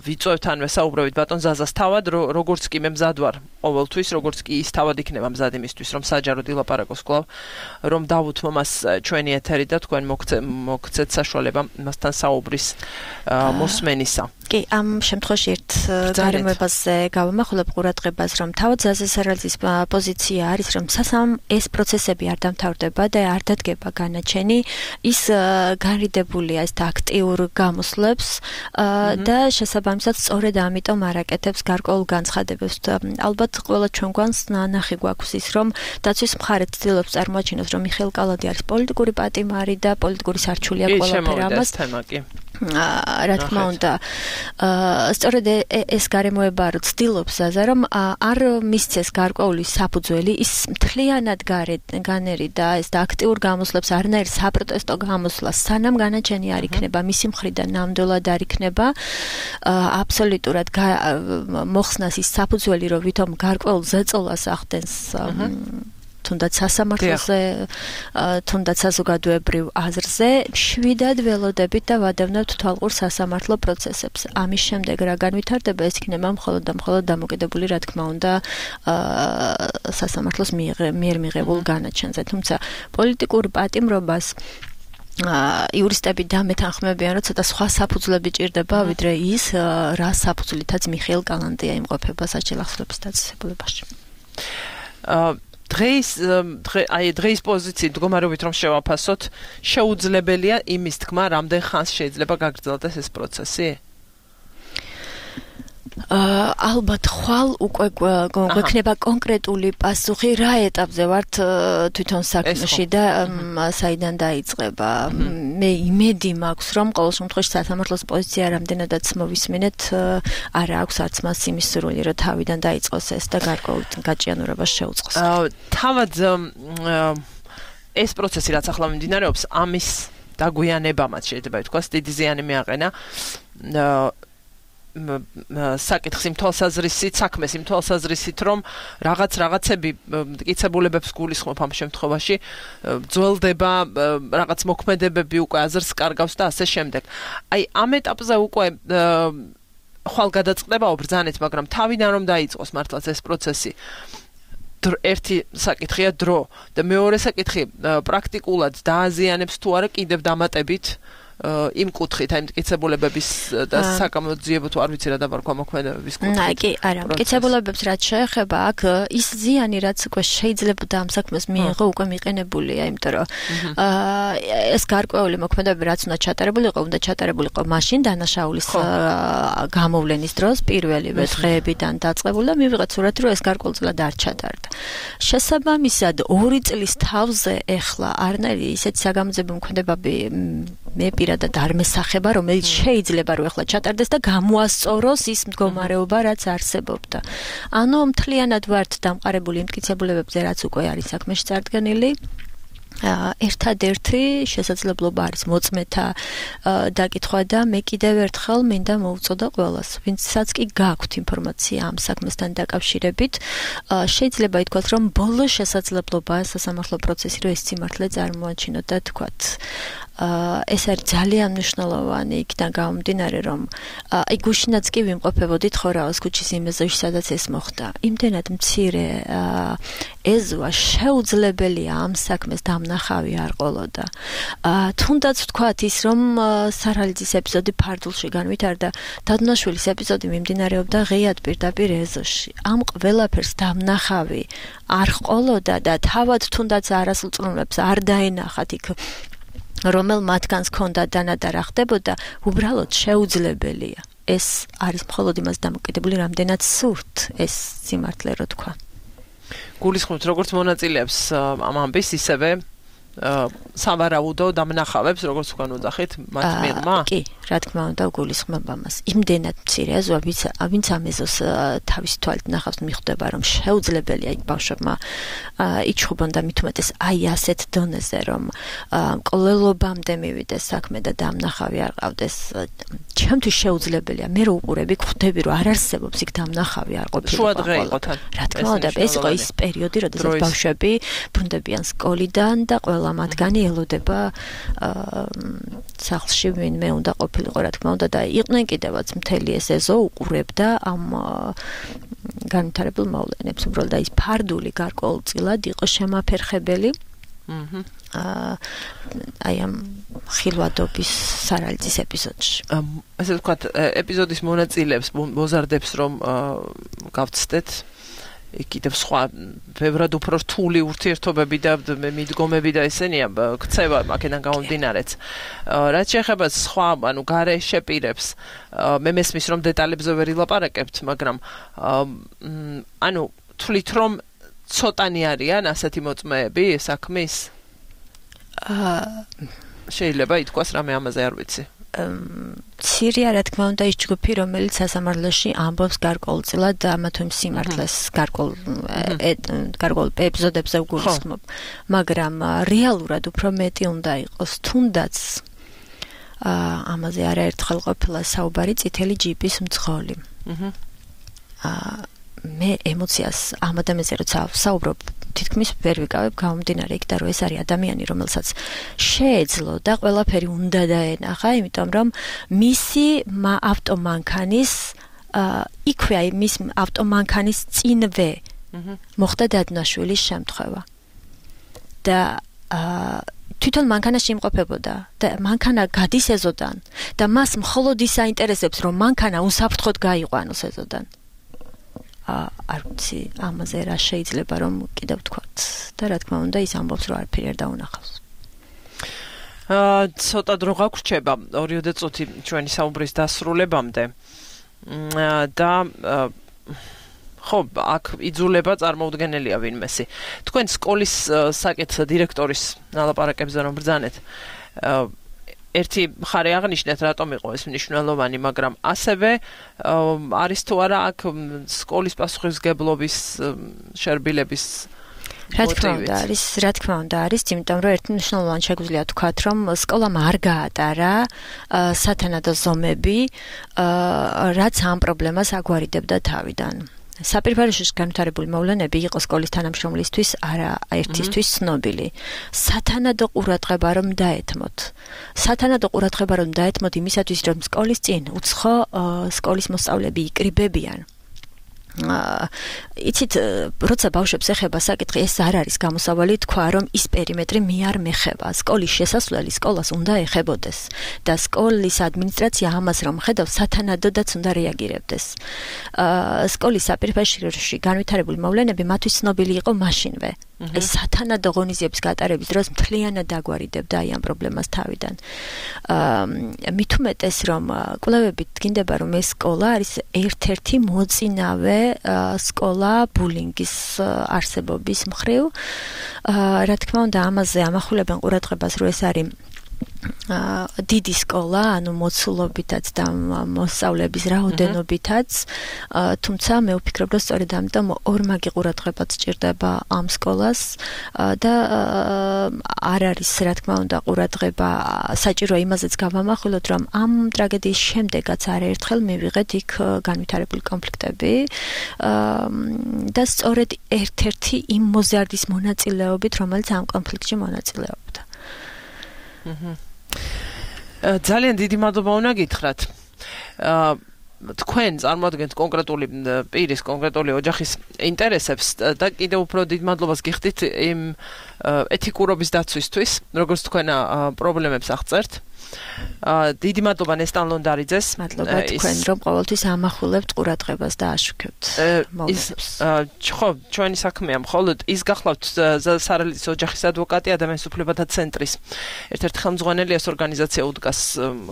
ვიწევთ ან ვესაუბრებით ბატონ ზაზას თავად, როგორც კი მე მზად ვარ ყოველთვის, როგორც კი ის თავად იქნება მზად იმისთვის, რომ საჯაროდ ილაპარაკოს კვლავ, რომ დავუთმო მას ჩვენი ეთერი და თქვენ მოგცეთ საშუალება მასთან საუბრის მოსმენისა.
კი, ამ შემთხვევაში ერთ გარემოებაზე გავამახვილებ ყურადღებას, რომ თავად ზაზას არალძის პოზიცია არის, რომ სასამ ეს პროცესები არ დამთავრდება და არ დადგება განაჩენი, ის განრიდებულია ეს აქტიურ გამოსვლებს და შესაბამისად სწორედ ამიტომ არაკეთებს გარკვეულ განცხადებებს. ალბათ ყველა ჩვენ გვანს ნახი გვაქვს ის, რომ დაცვის მხარე ცდილობს წარმოაჩინოს, რომ მიხეილ კალადი არის პოლიტიკური პატიმარი და პოლიტიკური სარჩული აქვს ყველაფერ ამას. რა თქმა უნდა, სწორედ ეს გარემოება რო ცდილობს ზაზა, რომ არ მისცეს გარკვეული საფუძველი, ის მთლიანად განერი და ეს და აქტიურ გამოსვლებს არნაირ საპროტესტო გამოსვლას სანამ განაჩენი არ იქნება მისი მხრიდან ნამდვილად არ იქნება აბსოლუტურად მოხსნას ის საფუძველი, რომ ვითომ გარკვეულ ზეწოლას ახდენს თუნდაც სასამართლოზე, თუნდაც საზოგადოებრივ აზრზე, შვიდად ველოდებით და ვადევნებთ თვალყურ სასამართლო პროცესებს. ამის შემდეგ რა განვითარდება, ეს იქნება მხოლოდ და მხოლოდ დამოკიდებული, რა თქმა უნდა, სასამართლოს მიერ მიღებულ განაჩენზე. თუმცა პოლიტიკურ პატიმრობას იურისტები დამეთანხმებიან, რომ ცოტა სხვა საფუძვლები ჭირდება, ვიდრე ის, რა საფუძვლითაც მიხეილ კალანდია იმყოფება საჭირო ახსნების დაწესებულებაში. დღეის პოზიციით მდგომარეობით რომ შევაფასოთ, შეუძლებელია იმის თქმა, რამდენ ხანს შეიძლება გაგრძელდეს ეს პროცესი? ალბათ ხვალ უკვე გვექნება კონკრეტული პასუხი, რა ეტაპზე ვართ თვითონ საქმეში და საიდან დაიწყება. მე იმედი მაქვს, რომ ყოველ შემთხვევაში სასამართლოს პოზიცია რამდენადაც მოვისმინეთ, არ აქვს არც მას იმის სურვილი, რომ თავიდან დაიწყოს ეს და გარკვეულ გაჭიანურებას შეუწყოს.
თავად ეს პროცესი რაც ახლა მიმდინარეობს, ამის დაგვიანებამაც შეიძლება ითქვას, დიდი ზიანი მიაყენა საკითხს იმ თვალსაზრისით, საქმეს იმ თვალსაზრისით, რომ რაღაცები მტკიცებულებებს გულისხმობ ამ შემთხვევაში, ძველდება რაღაც მოქმედებები უკვე აზრს კარგავს და ასე შემდეგ. აი ამ ეტაპზე უკვე ხვალ გადაწყდებაო ბრძანეთ, მაგრამ თავიდან რომ დაიწყოს მართლაც ეს პროცესი, ერთი საკითხია დრო და მეორე საკითხი პრაქტიკულად დააზიანებს თუ არა კიდევ დამატებით იმ კუთხით, აი მტკიცებულებების და საკამოძიებო თუ არ ვიცი რა დავარქვა მოქმედებების კუთხით.
კი, არა, მტკიცებულებებს რაც შეეხება, აქ ის ზიანი რაც უკვე შეიძლება და ამ საქმეს მიიღო, უკვე მიყენებულია, იმიტომ რომ ეს გარკვეული მოქმედებები რაც უნდა ჩატარებულიყო მაშინ დანაშაულის გამოვლენის დროს პირველივე დღეებიდან დაწყებული და მივიღეთ სურათი, რომ ეს გარკვეულწილად არ ჩატარდა. შესაბამისად, 2 წლის თავზე ეხლა არნერი ისეთი საგამოძიებო მოქმედებები მე პირადად არ მესახება, რომელიც შეიძლება რომ ეხლა ჩატარდეს და გამოასწოროს ის მდგომარეობა, რაც არსებობდა. ანუ მთლიანად ვართ დამყარებული მტკიცებულებებზე, რაც უკვე არის საქმეში წარდგენილი. ერთადერთი შესაძლებლობა არის მოწმეთა დაკითხვა და მე კიდევ ერთხელ მინდა მოვუწოდა ყველას, ვინცაც კი გაქვთ ინფორმაცია ამ საქმესთან დაკავშირებით, შეიძლება ითქვათ, რომ ბოლო შესაძლებლობაა სასამართლო პროცესი, რომ ეს სიმართლე წარმოაჩინოთ და თქვათ. ეს არის ძალიან მნიშვნელოვანი იქიდან გამომდინარე, რომ აი გუშინაც კი ვიმყოფებოდით ხორაოს ქუჩის იმ ეზოში, სადაც ეს მოხდა. იმდენად მცირე ეზოა შეუძლებელია ამ საქმეს დამნახავი არ ყოლოდა. თუნდაც ვთქვათ ის, რომ სარალიძის ეპიზოდი ფარდულში განვითარდა, დადუნაშვილის ეპიზოდი მიმდინარეობდა ღიად პირდაპირ ეზოში. ამ ყველაფერს დამნახავი არ ყოლოდა და თავად თუნდაც არასრულ წრომლებს არ დაენახათ იქ რომელ მათგანს ჰქონდა დანადარა ხდებოდა, უბრალოდ შეუძლებელია. ეს არის მხოლოდ იმას დამოკიდებული, რამდენად სურთ ეს სიმართლე რო თქვა.
გულისხმობთ როგორც მონაწილეებს ამ ამბის, ისევე სავარაუდო დამნახავებს, როგორც უკან უძახით, მათ მიღმა?
კი, რა თქმა უნდა, გულისხმობ ამას. იმდენად მცირე ეზოა, ვინც ამ ეზოს თავის თვალით ნახავს, მიხვდება, რომ შეუძლებელია იქ ბავშვებმა იჩხუბონ და მით უმეტეს აი ასეთ დონეზე, რომ მკვლელობამდე მივიდეს საქმე და დამნახავი არ ყავდეს. ჩემთვის შეუძლებელია. მე რო უყურები, ხვდები, რომ არ არსებობს იქ დამნახავი არ ყოფილიყო.
შუადღე იყო თან.
რა თქმა უნდა, ეს იყო ის პერიოდი, როდესაც ბავშვები ბრუნდებიან სკოლიდან და ყველა მათგანი ელოდება სახლში ვინმე უნდა ყოფილიყო, რა თქმა უნდა და იყვნენ კიდევაც მთელი ეს ეზო უყურებდა ამ განვითარებულ მოვლენებს. უბრალოდ ის ფარდული გარკვეულწილად იყო შემაფერხებელი. აი ამ ხილვადობის სარალიძის ეპიზოდში.
ასე ვთქვათ, ეპიზოდის მონაწილეებს მოზარდებს რომ გავცდეთ კიდევ სხვა ბევრად უფრო რთული ურთიერთობები და მიდგომები და ესენია ქცევა აქედან გამომდინარეც. რაც შეეხება სხვა, ანუ გარეშე პირებს, მე მესმის რომ დეტალებზე ვერ ილაპარაკებთ, მაგრამ ანუ თვლით რომ ცოტანი არიან ასეთი მოწმეები საქმის? შეიძლება ითქვას რამე ამაზე არ ვიცი.
ცირია რა თქმა უნდა ის ჯგუფი, რომელიც სასამართლოში ამბობს გარკვეულწილად და ამა თუ იმ სიმართლეს გარკვეულ ეპიზოდებზე უგულისხმობ. მაგრამ რეალურად უფრო მეტი უნდა იყოს, თუნდაც ამაზე არაერთხელ ყოფილა საუბარი წითელი ჯიპის მძღოლი. მე ემოციას ამ ადამიანზე როცა საუბრობ, თითქმის ვერ ვიკავებ გამომდინარე იქ და რომ ეს არის ადამიანი, რომელსაც შეეძლო და ყველაფერი უნდა დაენახა, იმიტომ რომ მისი ავტომანქანის იქვე აი მის ავტომანქანის წინვე მოხდა დადუნაშვილის შემთხვევა. და თვითონ მანქანაში იმყოფებოდა და მანქანა გადის ეზოდან და მას მხოლოდ ის აინტერესებს, რომ მანქანა უსაფრთხოდ გაიყვანოს ეზოდან. არ ვიცი ამაზე რა შეიძლება რომ კიდევ ვთქვათ და რა თქმა უნდა ის ამბობს რომ არაფერი არ დაუნახავს.
ცოტა დრო გაგვრჩება 2 წუთი ჩვენი საუბრის დასრულებამდე და ხო აქ იძულება წარმოუდგენელია ვინმესი. თქვენ სკოლის საკითხზე დირექტორის ნალაპარაკებზე რომ ბრძანეთ, ერთი მხარე აღნიშნეთ რატომ იყო ეს მნიშვნელოვანი, მაგრამ ასევე არის თუ არა აქ სკოლის პასუხისმგებლობის შერბილების
რა თქმა უნდა არის, იმიტომ რომ ერთი მნიშვნელოვანი შეგვიძლია თქვათ, რომ სკოლამ არ გაატარა სათანადო ზომები, რაც ამ პრობლემას აგვარიდებდა თავიდან. საპირფარეშოში განვითარებული მოვლენები იყო სკოლის თანამშრომლისთვის არა ერთისთვის ცნობილი. სათანადო ყურადღება რომ დაეთმოთ იმისათვის, რომ სკოლის წინ უცხო სკოლის მოსწავლეები იკრიბებიან იცით, როცა ბავშვებს ეხება საკითხი, ეს არ არის გამოსავალი თქვა, რომ ის პერიმეტრი მე არ მეხება. სკოლის შესასვლელი სკოლას უნდა ეხებოდეს და სკოლის ადმინისტრაცია ამას რომ ხედავს, სათანადოდაც უნდა რეაგირებდეს. სკოლის საპირისპიროში განვითარებული მოვლენები მათთვის ცნობილი იყო მაშინვე. ეს სათანადო ღონისძიების გატარების დროს მთლიანად დაგვარიდებდა აი ამ პრობლემას თავიდან. მით უმეტეს რომ კვლევებით დგინდება რომ ეს სკოლა არის ერთ-ერთი მოწინავე სკოლა ბულინგის არსებობის მხრივ. რა თქმა უნდა ამაზე ამახვილებენ ყურადღებას რომ ეს არის დიდი სკოლა, ანუ მოცულობითაც და მოსწავლეების რაოდენობითაც, თუმცა მე ვფიქრობ, რომ სწორედ ამიტომ ორმაგი ყურადღებაც სჭირდება ამ სკოლას და არ არის, რა თქმა უნდა, ყურადღება საჭირო იმაზეც გავამახვილოთ, რომ ამ ტრაგედიის შემდეგაც არაერთხელ მივიღეთ იქ განვითარებული კონფლიქტები და სწორედ ერთ-ერთი იმ მოზარდის მონაწილეობით, რომელიც ამ კონფლიქტში მონაწილეობდა.
ძალიან დიდი მადლობა უნდა გითხრათ. თქვენ წარმოადგენთ კონკრეტული პირის, კონკრეტული ოჯახის ინტერესებს და კიდევ უფრო დიდ მადლობას გიხდით იმ ეთიკურობის დაცვისთვის, როგორც თქვენ პრობლემებს აღწერთ. დიდი მადლობა ნესტან ლონდარიძეს.
მადლობა თქვენ, რომ ყოველთვის ამახვილებთ ყურადღებას და აშუქებთ მოვლენებს.
ხო, ჩვენი საქმეა მხოლოდ ის გახლავთ სარალიძის ოჯახის ადვოკატი, ადამიანის უფლებათა ცენტრის ერთ-ერთი ხელმძღვანელი, ეს ორგანიზაცია უდგას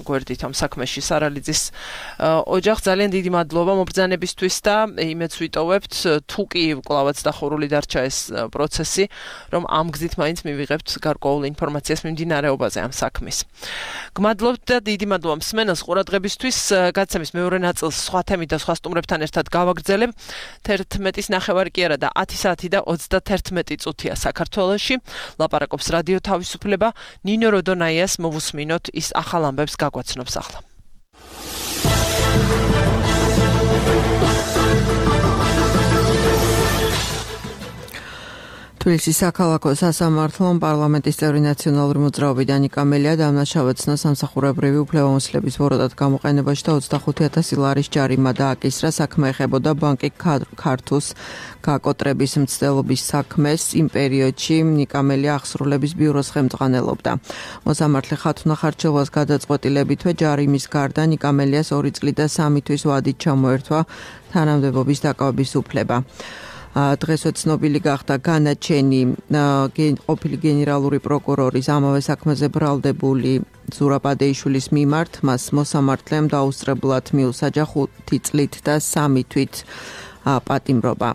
გვერდით ამ საქმეში სარალიძის ოჯახს. ძალიან დიდი მადლობა მობრძანებისთვის და იმედს ვიტოვებთ, თუ კი კლავაც დახურული დარჩა ეს პროცესი, რომ ამ გზით მაინც მივიღებთ გარკვეულ ინფორმაციას მიმდინარეობაზე ამ საქმის. გმადლობთ და დიდი მადლობა მსმენელს ყურადღებისთვის. გაცემის მეორე ნაწილს სხვა თემით და სხვა სტუმრებთან ერთად გავაგრძელებ. 11-ის ნახევარი კი არა და 10 საათი და 31 წუთია საქართველოში. ლაპარაკობს რადიო თავისუფლება. ნინო როდონაიას მოვუსმინოთ, ის ახალ ამბებს გაგვაცნობს ახლა.
თბილისის საქალაქო სასამართლომ პარლამენტის წევრი ნაციონალური მოძრაობიდან ნიკა მელია დამნაშავეცნა სამსახურებრივი უფლებამოსილების ვოროდად გამოყენებაში და 25,000 ლარის ჯარიმა დააკისრა. საქმე ეხებოდა ბანკი ქართუს გაკოტრების მცდელობის საქმეს. იმ პერიოდში ნიკა მელია აღსრულების ბიუროს ხელმძღვანელობდა. მოსამართლე ხათუნა ხარჩელვას გადაწყვეტილებითვე ჯარიმის გარდა ნიკა მელიას 2 წლი და 3 თვის ვადით ჩამოერთვა თანამდებობის დაკავების უფლება. დღესვე ცნობილი გახდა განაჩენი ყოფილი გენერალური პროკურორის ამავე საქმეზე ბრალდებული ზურაბ ადეიშვილის მიმართ. მას მოსამართლემ დაუსწრებლად მიუსაჯა 5 წლით და 3 თვით პატიმრობა.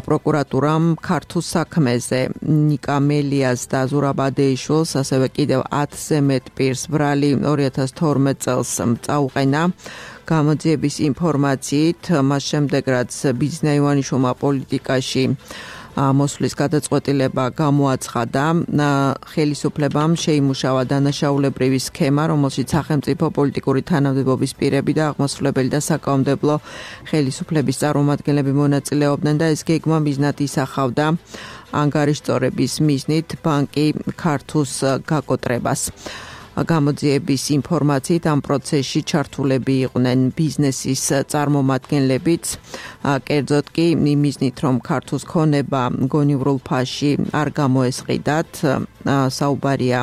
პროკურატურამ ქართუს საქმეზე ნიკა მელიას და ზურაბ ადეიშვილს, ასევე კიდევ 10-ზე მეტ პირს ბრალი 2012 წელს წაუყენა. გამოძიების ინფორმაციით, მას შემდეგ რაც ბიძინა ივანიშვილმა პოლიტიკაში მოსვლის გადაწყვეტილება გამოაცხადა, ხელისუფლებამ შეიმუშავა დანაშაულებრივი სქემა, რომელშიც სახელმწიფო პოლიტიკური თანამდებობის პირები და აღმასრულებელი და საკანონმდებლო ხელისუფლების წარმომადგენლები მონაწილეობდნენ და ეს გეგმა მიზნად ისახავდა ანგარიშწორების მიზნით ბანკი ქართუს გაკოტრებას. გამოძიების ინფორმაციით ამ პროცესში ჩართულები იყვნენ ბიზნესის წარმომადგენლებიც, კერძოდ კი იმიზნით, რომ ქართუს ქონება გონივრულ ფასში არ გამოესყიდათ, საუბარია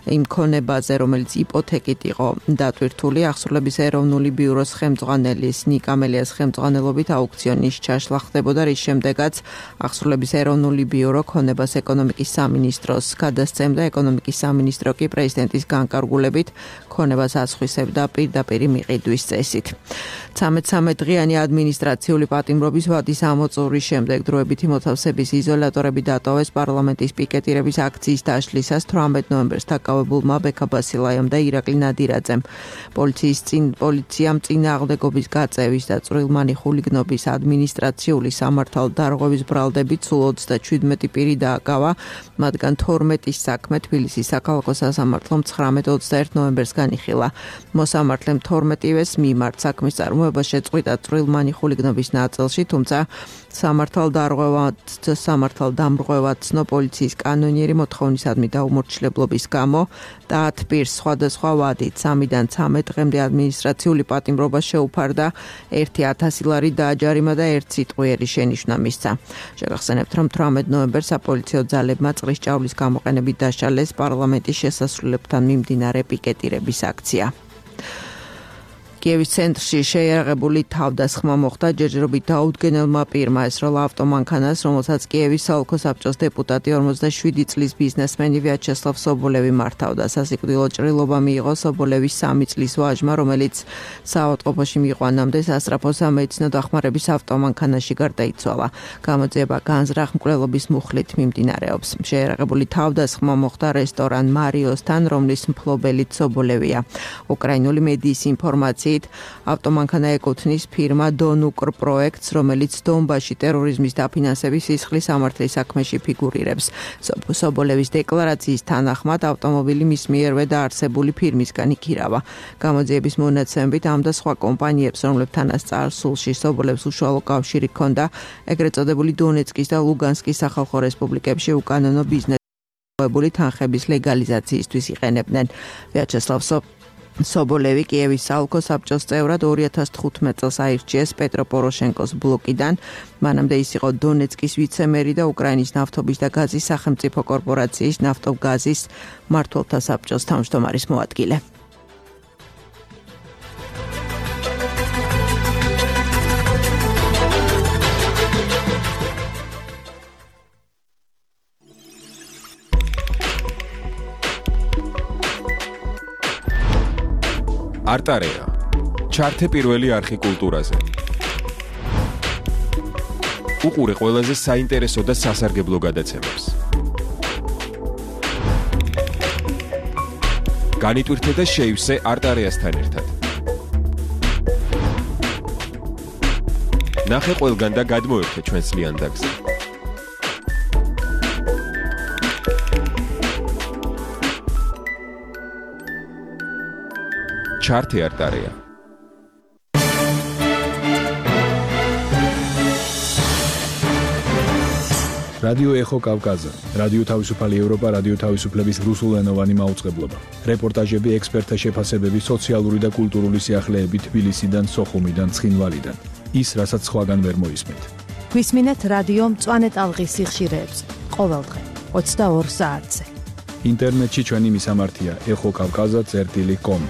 იმ ქონებაზე, რომელიც იპოთეკით იყო დატვირთული. აღსრულების ეროვნული ბიუროს ხელმძღვანელის ნიკა მელიას ხელმძღვანელობით აუქციონის ჩაშლა ხდებოდა, რის შემდეგაც აღსრულების ეროვნული ბიურო ქონებას ეკონომიკის სამინისტროს გადასცემდა. ეკონომიკის სამინისტრო კი პრეზიდენტის განკარგულებით ქონებას ასხვისებდა პირდაპირ მიყიდვის წესით. 13 დღიანი ადმინისტრაციული პატიმრობის ვადის ამოწურვის შემდეგ დროებითი მოთავსების იზოლატორები დატოვეს პარლამენტის პიკეტირების აქციის დაშლისას 18 ნოემბერს დაკავებულმა ბექა ბასილაიამ და ირაკლი ნადირაძემ. პოლიციამ წინააღმდეგობის გაწევის და წვრილმანი ხულიგნობის ადმინისტრაციული სამართალდარღვევის ბრალდებით სულ 37 პირი დააკავა, მათგან 12-ის საქმე თბილისის საქალაქო სასამართლომ 19-21 ნოემბერს განიხილა. მოსამართლემ 12-ვეს მიმართ საქმის წარმოება შეწყვიტა წვრილმანი ხულიგნობის ნაწილში, თუმცა სამართალდამრღვევად ცნო პოლიციის კანონიერი მოთხოვნისადმი დაუმორჩილებლობის გამო და 10 პირს სხვადასხვა ვადით 3-დან 13 დღემდე ადმინისტრაციული პატიმრობა შეუფარდა, 1000 ლარი დააჯარიმა და 1 სიტყვიერი შენიშვნა მისცა. შეგახსენებთ, რომ 18 ნოემბერს საპოლიციო ძალებმა წყლის ჭავლის გამოყენებით დაშალეს პარლამენტის შესასრულებთან მიმდინარე პიკეტირების აქცია. კიევის ცენტრში შეიარაღებული თავდასხმა მოხდა ჯერჯერობით დაუდგენელმა პირმა, ესროლა ავტომანქანას, რომელსაც კიევის საოლქო საბჭოს დეპუტატი 47 წლის ბიზნესმენი ვიაჩესლავ სობოლევი მართავდა. სასიკვდილო ჭრილობა მიიღო სობოლევის 3 წლის ვაჟმა, რომელიც საავადმყოფოში მიიყვანამდე სასწრაფო სამედიცინო დახმარების ავტომანქანაში გარდაიცვალა. გამოძიება განზრახ მკვლელობის მუხლით მიმდინარეობს. შეიარაღებული თავდასხმა მოხდა რესტორან მარიოსთან, რომლის მფლობელიც სობოლევია. უკრაინული მედიის ინფორმაციით ავტომანქანა ეკუთვნის ფირმა დონუკრ პროექტს, რომელიც დონბასში ტერორიზმის დაფინანსების სისხლის სამართლის საქმეში ფიგურირებს. სობოლევის დეკლარაციის თანახმად ავტომობილი მის მიერვე დაარსებული ფირმისგან იქირავა. გამოძიების მონაცემებით ამ და სხვა კომპანიებს, რომლებთანაც წარსულში სობოლევს უშუალო კავშირი ჰქონდა, ეგრეთ წოდებული დონეცკის და ლუგანსკის სახალხო რესპუბლიკებში უკანონო ბიზნესის თანხების ლეგალიზაციისთვის იყენებდნენ. ვიაჩესლავ სობოლევი კიევის საოლქო საბჭოს წევრად 2015 წელს აირჩიეს პეტრო პოროშენკოს ბლოკიდან. მანამდე ის იყო დონეცკის ვიცემერი და უკრაინის ნავთობის და გაზის სახელმწიფო კორპორაციის ნავტოგაზის მმართველთა საბჭოს თავმჯდომარის მოადგილე.
არტარეა. ჩართე პირველი არხი კულტურაზე. უყურე ყველაზე საინტერესო და სასარგებლო გადაცემებს. განიტვირთე და შეივსე არტარეასთან ერთად. ნახე ყველგან და გადმოერთე ჩვენს ლიანდაგზე. ჩართე არტარეა.
რადიო ეხო კავკაზა, რადიო თავისუფალი ევროპა, რადიო თავისუფლების რუსულენოვანი მაუწყებლობა. რეპორტაჟები, ექსპერტთა შეფასებები, სოციალური და კულტურული სიახლეები თბილისიდან, სოხუმიდან, ცხინვალიდან. ის, რასაც სხვაგან ვერ მოისმენთ.
გვისმინეთ რადიო მწვანე ტალღის სიხშირეებს ყოველდღე 22 საათზე.
ინტერნეტში ჩვენი მისამართია ეხოკავკაზა.com.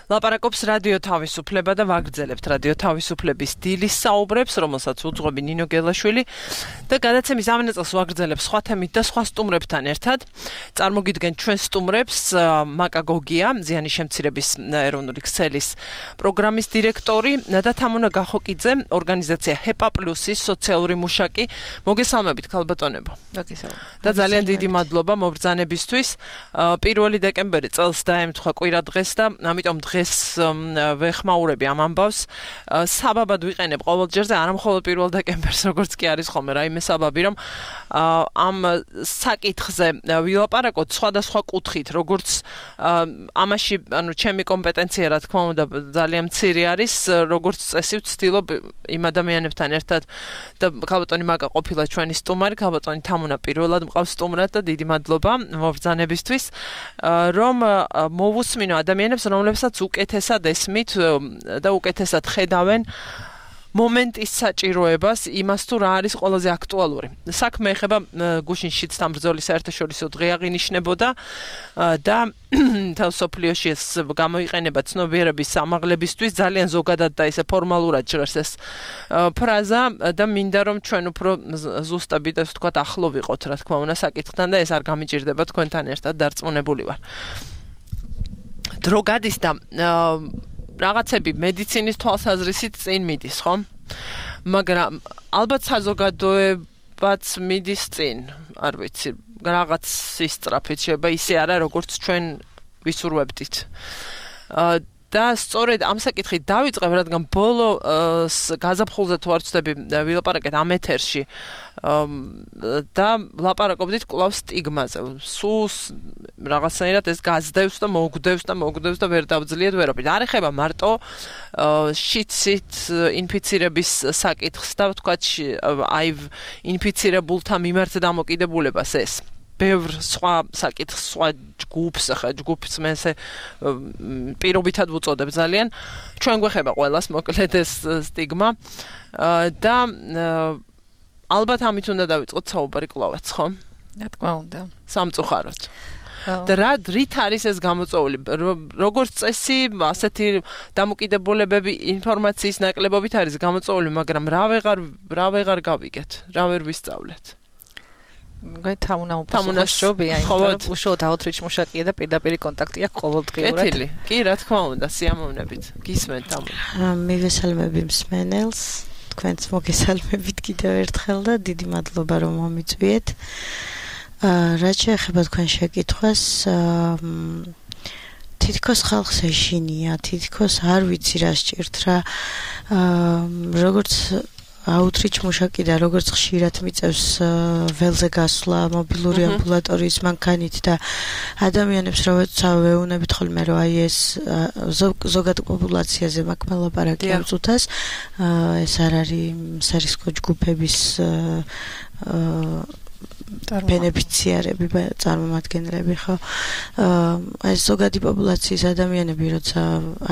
ლაპარაკობს რადიო თავისუფლება და ვაგრძელებთ რადიო თავისუფლების დილის საუბრებს, რომელსაც უძღვები ნინო გელაშვილი და გადაცემის ამ ნაწილს ვაგრძელებ სხვა თემით და სხვა სტუმრებთან ერთად. წარმოგიდგენთ ჩვენ სტუმრებს მაკა გოგია, ზიანის შემცირების ეროვნული ქსელის პროგრამის დირექტორი და თამუნა გახოკიძე, ორგანიზაცია ჰეპა პლუსის სოციალური მუშაკი. მოგესალმებით ქალბატონებო. და ძალიან დიდი მადლობა მობრძანებისთვის. 1 დეკემბერი წელს დაემთხვა კვირადღეს და ამიტომ დღეს ვეხმაურები ამ ამბავს. საბაბად ვიყენებ ყოველ ჯერზე, არა მხოლოდ 1 დეკემბერს, როგორც კი არის ხოლმე რაიმე საბაბი, რომ ამ საკითხზე ვილაპარაკოთ სხვადასხვა კუთხით, როგორც ამაში, ანუ ჩემი კომპეტენცია, რა თქმა უნდა, ძალიან მცირე არის, როგორც წესი ვცდილობ იმ ადამიანებთან ერთად და ქალბატონი მაკა ყოფილა ჩვენი სტუმარი, ქალბატონი თამუნა პირველად მყავს სტუმრად და დიდი მადლობა მობრძანებისთვის, რომ მოვუსმინო ადამიანებს, რომლებსაც უკეთესად ესმით და უკეთესად ხედავენ მომენტის საჭიროებას, იმას თუ რა არის ყველაზე აქტუალური. საქმე ეხება გუშინ შიდსთან ბრძოლის საერთაშორისო დღე აღინიშნებოდა და თავსოფლიოში ეს გამოიყენება ცნობიერების ამაღლებისთვის, ძალიან ზოგადად და ესე ფორმალურად ჟღერს ეს ფრაზა და მინდა რომ ჩვენ უფრო ზუსტად ასე ვთქვათ ახლო ვიყოთ, რა თქმა უნდა, საკითხთან და ეს არ გამიჭირდება თქვენთან ერთად დარწმუნებული ვარ. დრო გადის და რაღაცები მედიცინის თვალსაზრისით წინ მიდის, ხო? მაგრამ ალბათ საზოგადოებაც მიდის წინ, არ ვიცი, რაღაც ისწრაფით შეიძლება ისე არა, როგორც ჩვენ ვისურვებდით. და სწორედ ამ საკითხით დავიწყებ, რადგან ბოლო გაზაფხულზე თუ არ ვცდები ვილაპარაკეთ ამ ეთერში და ვლაპარაკობდით კვლავ სტიგმაზე. სულ რაღაცნაირად ეს გაძდევს და მოგდევს და ვერ დავძლიეთ ვერაფრით. არ ეხება მარტო შიცით ინფიცირების საკითხს და ვთქვათ აი ინფიცირებულთა მიმართ დამოკიდებულებას ეს. ბევრ სხვა საკითხს, სხვა ჯგუფს, ახლა ჯგუფს მე ესე პირობითად ვუწოდებ ძალიან. ჩვენ გვეხება ყველას მოკლედ ეს სტიგმა და ალბათ ამით უნდა დავიწყოთ საუბარი კვლავაც, ხო?
რა თქმა უნდა.
სამწუხაროდ. და რით არის ეს გამოწვეული? როგორც წესი, ასეთი დამოკიდებულებები ინფორმაციის ნაკლებობით არის გამოწვეული, მაგრამ რა ვეღარ გავიგეთ, რა ვერ ვისწავლეთ.
თამუნაშობია, იმიტომ უშუალოდ აუთრიჩ მუშაკია და პირდაპირ კონტაქტია ყოველდღიურად.
კეთილი. კი, რა თქმა უნდა, სიამოვნებით. გისმენთ თამუნა.
მივესალმები მსმენელს, თქვენც მოგესალმებით კიდევ ერთხელ და დიდი მადლობა რომ მომიწვიეთ. რაც შეეხება თქვენ შეკითხვას, თითქოს ხალხს ეშინია, თითქოს არ ვიცი რა სჭირთ რა, როგორც აუთრიჩ მუშაკი და როგორც ხშირად მიწევს ველზე გასვლა მობილური ამბულატორიის მანქანით და ადამიანებს როცა ვეუბნებით ხოლმე რომ აი ეს ზოგად პოპულაციაზე მაქვს ლაპარაკი ამ წუთას, ეს არ არის სარისკო ჯგუფების ბენეფიციარები, წარმომადგენლები, ხო? ეს ზოგადი პოპულაციის ადამიანები, როცა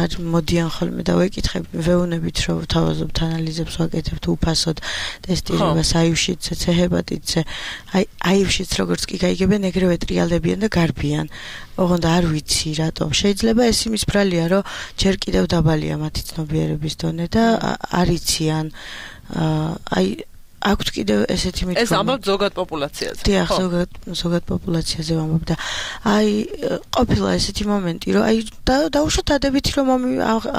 არ მოდიან ხოლმე და ვეუბნებით, რომ ვთავაზობთ ანალიზებს, ვაკეთებთ უფასოდ ტესტირებას აივშიცზე, ჰეპატიტზე. აივშიც როგორც კი გაიგებენ, ეგრევე ტრიალდებიან და გარბიან. ოღონდ არ ვიცი რატომ. შეიძლება ეს იმის ბრალია, რომ ჯერ კიდევ დაბალია მათი ცნობიერების დონე და არ იციან აქვთ კიდევ ესეთი მითქმა.
ეს ამბობ ზოგად პოპულაციაზე.
დიახ, ზოგად პოპულაციაზე ვამბობ და აი ყოფილა ესეთი მომენტი, რომ აი დაუშვათ ადებითი რომ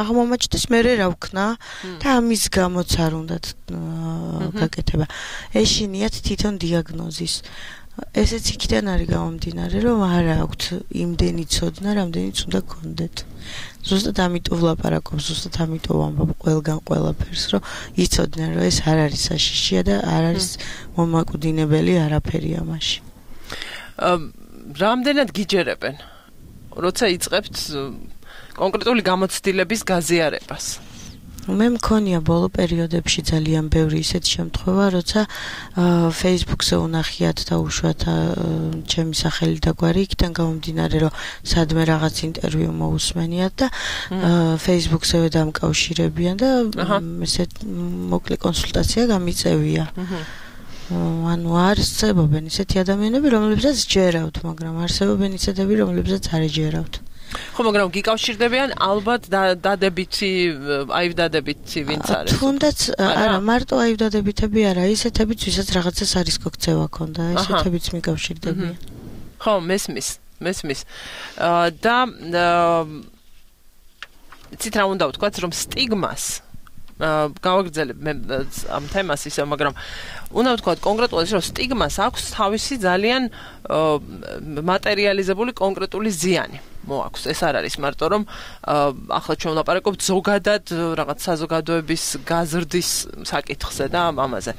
აღმომაჩნდეს მერე რა ვქნა და ამის გამოც არ უნდათ გაკეთება. ეშინიათ თვითონ დიაგნოზის. ესეც იქიდან არის გამომდინარე, რომ არ აქვთ იმდენი ცოდნა, რამდენიც უნდა გქონდეთ. ზუსტად ამიტომ ვლაპარაკობ, ზუსტად ამიტომ ვამბობ ყველგან ყველაფერს, რომ იცოდნენ, რომ ეს არ არის საშიშია და არ არის მომაკვდინებელი არაფერი ამაში.
რამდენად გიჯერებენ, როცა იწყებთ კონკრეტული გამოცდილების გაზიარებას?
მე მქონია ბოლო პერიოდებში ძალიან ბევრი ისეთი შემთხვევა, როცა Facebook-ზე უნახიათ და უშუალოდ ჩემი სახელი და გვარი იქიდან გამომდინარე, რომ სადმე რაღაც ინტერვიუ მოусმენიათ და Facebook-ზე დამკავშირებიან და ესეთ მოკლე კონსულტაცია გამიწევია. ანუ არსებობენ ისეთი ადამიანები, რომლებსაც ჯერავთ, მაგრამ არსებობენ ისეთები, რომლებსაც არ ეჯერავთ.
ხო, მაგრამ გიკავშირდებიან ალბათ დადებითი, აივდადებითი ვინც არის.
თუნდაც არა, მარტო აივდადებითები არა, ისეთებიც, ვისაც რაღაცა სარისკო ქცევა ქონდა, ისეთებიც მიკავშირდებიან.
ხო, მესმის. და ცით რა უნდა ვთქვათ, რომ სტიგმას გავაგრძელებ მე ამ თემას ისე, მაგრამ უნდა ვთქვათ კონკრეტულად, რომ სტიგმას აქვს თავისი ძალიან მატერიალიზებული კონკრეტული ზიანი. მოაქვს. ეს არ არის მარტო რომ ახლა ჩვენ ვლაპარაკობთ ზოგადად რაღაც საზოგადოების გაზრდის საკითხზე და ამაზე.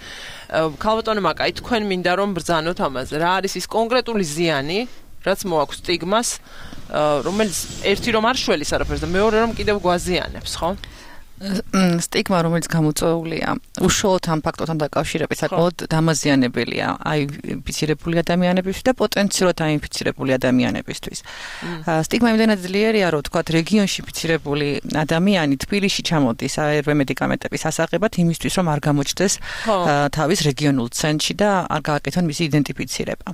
ქალბატონო მაკაი, თქვენ მინდა რომ ბრძანოთ ამაზე. რა არის ის კონკრეტული ზიანი, რაც მოაქვს სტიგმას, რომელიც ერთი რომ არ შველის არაფერს და მეორე რომ კიდევ გვაზიანებს, ხო?
სტიგმა, რომელიც გამოწვეულია, უშუალოდ ამ ფაქტორთან დაკავშირებით საკმაოდ დამაზიანებელია აი ინფიცირებული ადამიანებისთვის და პოტენციურად აინფიცირებული ადამიანებისთვის. სტიგმა იმდენად ძლიერია, რომ თქვათ რეგიონში ინფიცირებული ადამიანი თბილისში ჩამოდის ARV მედიკამენტების ასაღებად იმისთვის, რომ არ გამოჩნდეს თავის რეგიონულ ცენტრში და არ გააკეთონ მისი იდენტიფიცირება.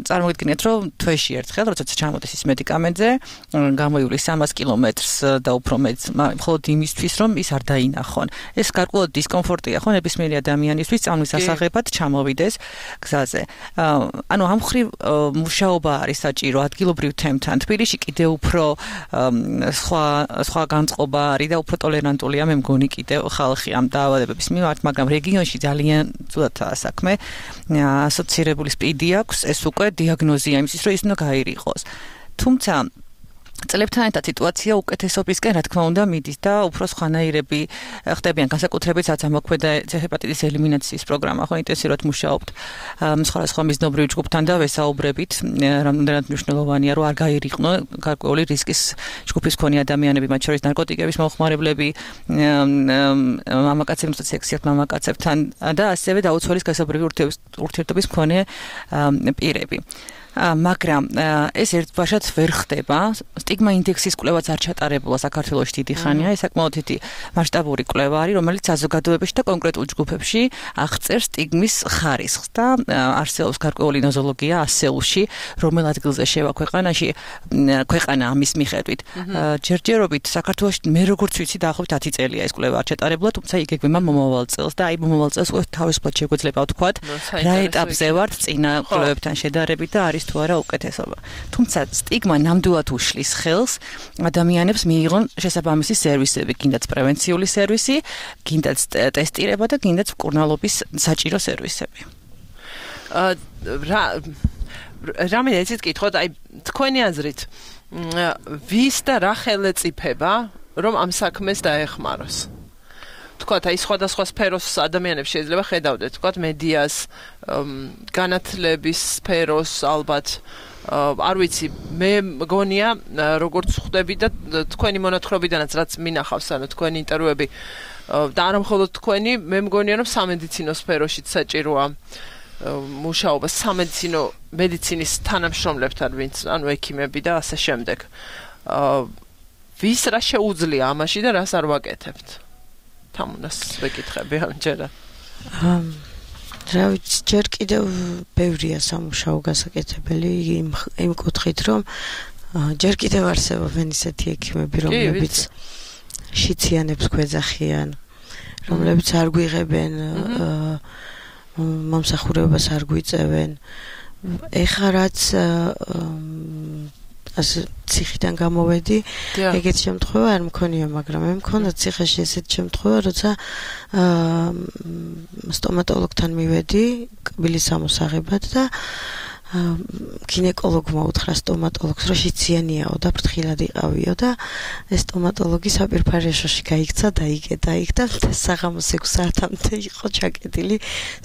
წარმოგიდგენთ, რომ თვეში ერთხელ, როდესაც ჩამოდის ის მედიკამენტზე, გამოივლის 300 კილომეტრს და უფრო მეტს, მხოლოდ იმისთვის, რომ ის არ დაინახონ. ეს გარკვეულად დისკომფორტია ხო ნებისმიერი ადამიანისთვის წამლის ასაღებად ჩამოვიდეს გზაზე. ანუ ამ ხრივ მუშაობა არის საჭირო ადგილობრივ თემთან. თბილისში კიდევ უფრო სხვა განწყობა არის და უფრო ტოლერანტულია მე მგონი კიდევ ხალხი ამ დაავადებების მიმართ, მაგრამ რეგიონში ძალიან ძვირადაა საქმე. ასოცირებული სპიდი აქვს, ეს უკვე დიაგნოზია იმისთვის, რომ ის უნდა გაირიყოს. თუმცა წლებთან ერთად სიტუაცია უკეთესობისკენ რა თქმა უნდა მიდის და უფრო სხვანაირები ხდებიან განსაკუთრებით რაც ამოქმედა ჰეპატიტის ელიმინაციის პროგრამა ხო ინტენსიურად მუშაობთ სხვადასხვა მიზნობრივ ჯგუფთან და ვესაუბრებით რამდენად მნიშვნელოვანია რომ არ გაირიყნო გარკვეული რისკის ჯგუფის მქონე ადამიანები მათ შორის ნარკოტიკების მომხმარებლები მამაკაცებს სექსიათ მამაკაცებთან და ასევე დაუცველის გასაბრივი ურთიერთობის მქონე პირები მაგრამ ეს ერთბაშად ვერ ხდება სტიგმა ინდექსის კვლევაც არ ჩატარებულა საქართველოში დიდი ხანია ეს საკმაოდ დიდი მასშტაბური კვლევა არის რომელიც საზოგადოებაში და კონკრეტულ ჯგუფებში აღწერს სტიგმის ხარისხს და არსებობს გარკვეული ნოზოლოგია ასეულში რომელ ადგილზე შევა ქვეყანა ამის მიხედვით ჯერჯერობით საქართველოში მე როგორც ვიცი დაახლოებით 10 წელია ეს კვლევა არ ჩატარებულა თუმცა იგეგმება მომავალ წელს და აი მომავალ წელს თავისუფლად შეგვეძლება ვთქვათ რა ეტაპზე ვართ წინა კვლევებთან შედარებით და არის თუ არა უკეთესობა. თუმცა სტიგმა ნამდვილად უშლის ხელს ადამიანებს მიიღონ შესაბამისი სერვისები, გინდაც პრევენციული სერვისი, გინდაც ტესტირება და გინდაც მკურნალობის საჭირო სერვისები.
რა მინდა იცით კითხოთ, აი თქვენი აზრით ვის და რა ხელეწიფება რომ ამ საქმეს დაეხმაროს? თქვათ აი სხვადასხვა სფეროს ადამიანებს შეიძლება ხედავდეთ, თქვათ მედიას, განათლების სფეროს ალბათ არ ვიცი, მე მგონია როგორც ხვდები და თქვენი მონათხრობიდანაც რაც მინახავს, ანუ თქვენი ინტერვიუები და არა მხოლოდ თქვენი, მე მგონია რომ სამედიცინო სფეროშიც საჭიროა მუშაობა მედიცინის თანამშრომლებთან, ვინც ანუ ექიმები და ასე შემდეგ. ვის რა შეუძლია ამაში და რას არ ვაკეთებთ? თამუნას ვეკითხები ამჯერად.
რა ვიცი, ჯერ კიდევ ბევრია სამუშაო გასაკეთებელი იმ კუთხით, რომ ჯერ კიდევ არსებობენ ისეთი ექიმები, რომლებიც შიციანებს გვეძახიან, რომლებიც არ გვიღებენ მომსახურებას არ გვიწევენ. ეხლა რაც ასე ციხიდან გამოვედი, ეგეთ შემთხვევა არ მქონია, მაგრამ მე მქონდა ციხეში ესეთ შემთხვევა, როცა სტომატოლოგთან მივედი კბილის ამოსაღებად და გინეკოლოგმა უთხრა სტომატოლოგს, რომ შიციანიაო და ფრთხილად იყავიო და ეს სტომატოლოგი საპირფარეშოში გაიქცა და იკეთა იქ და საღამოს 6 საათამდე იყო ჩაკეტილი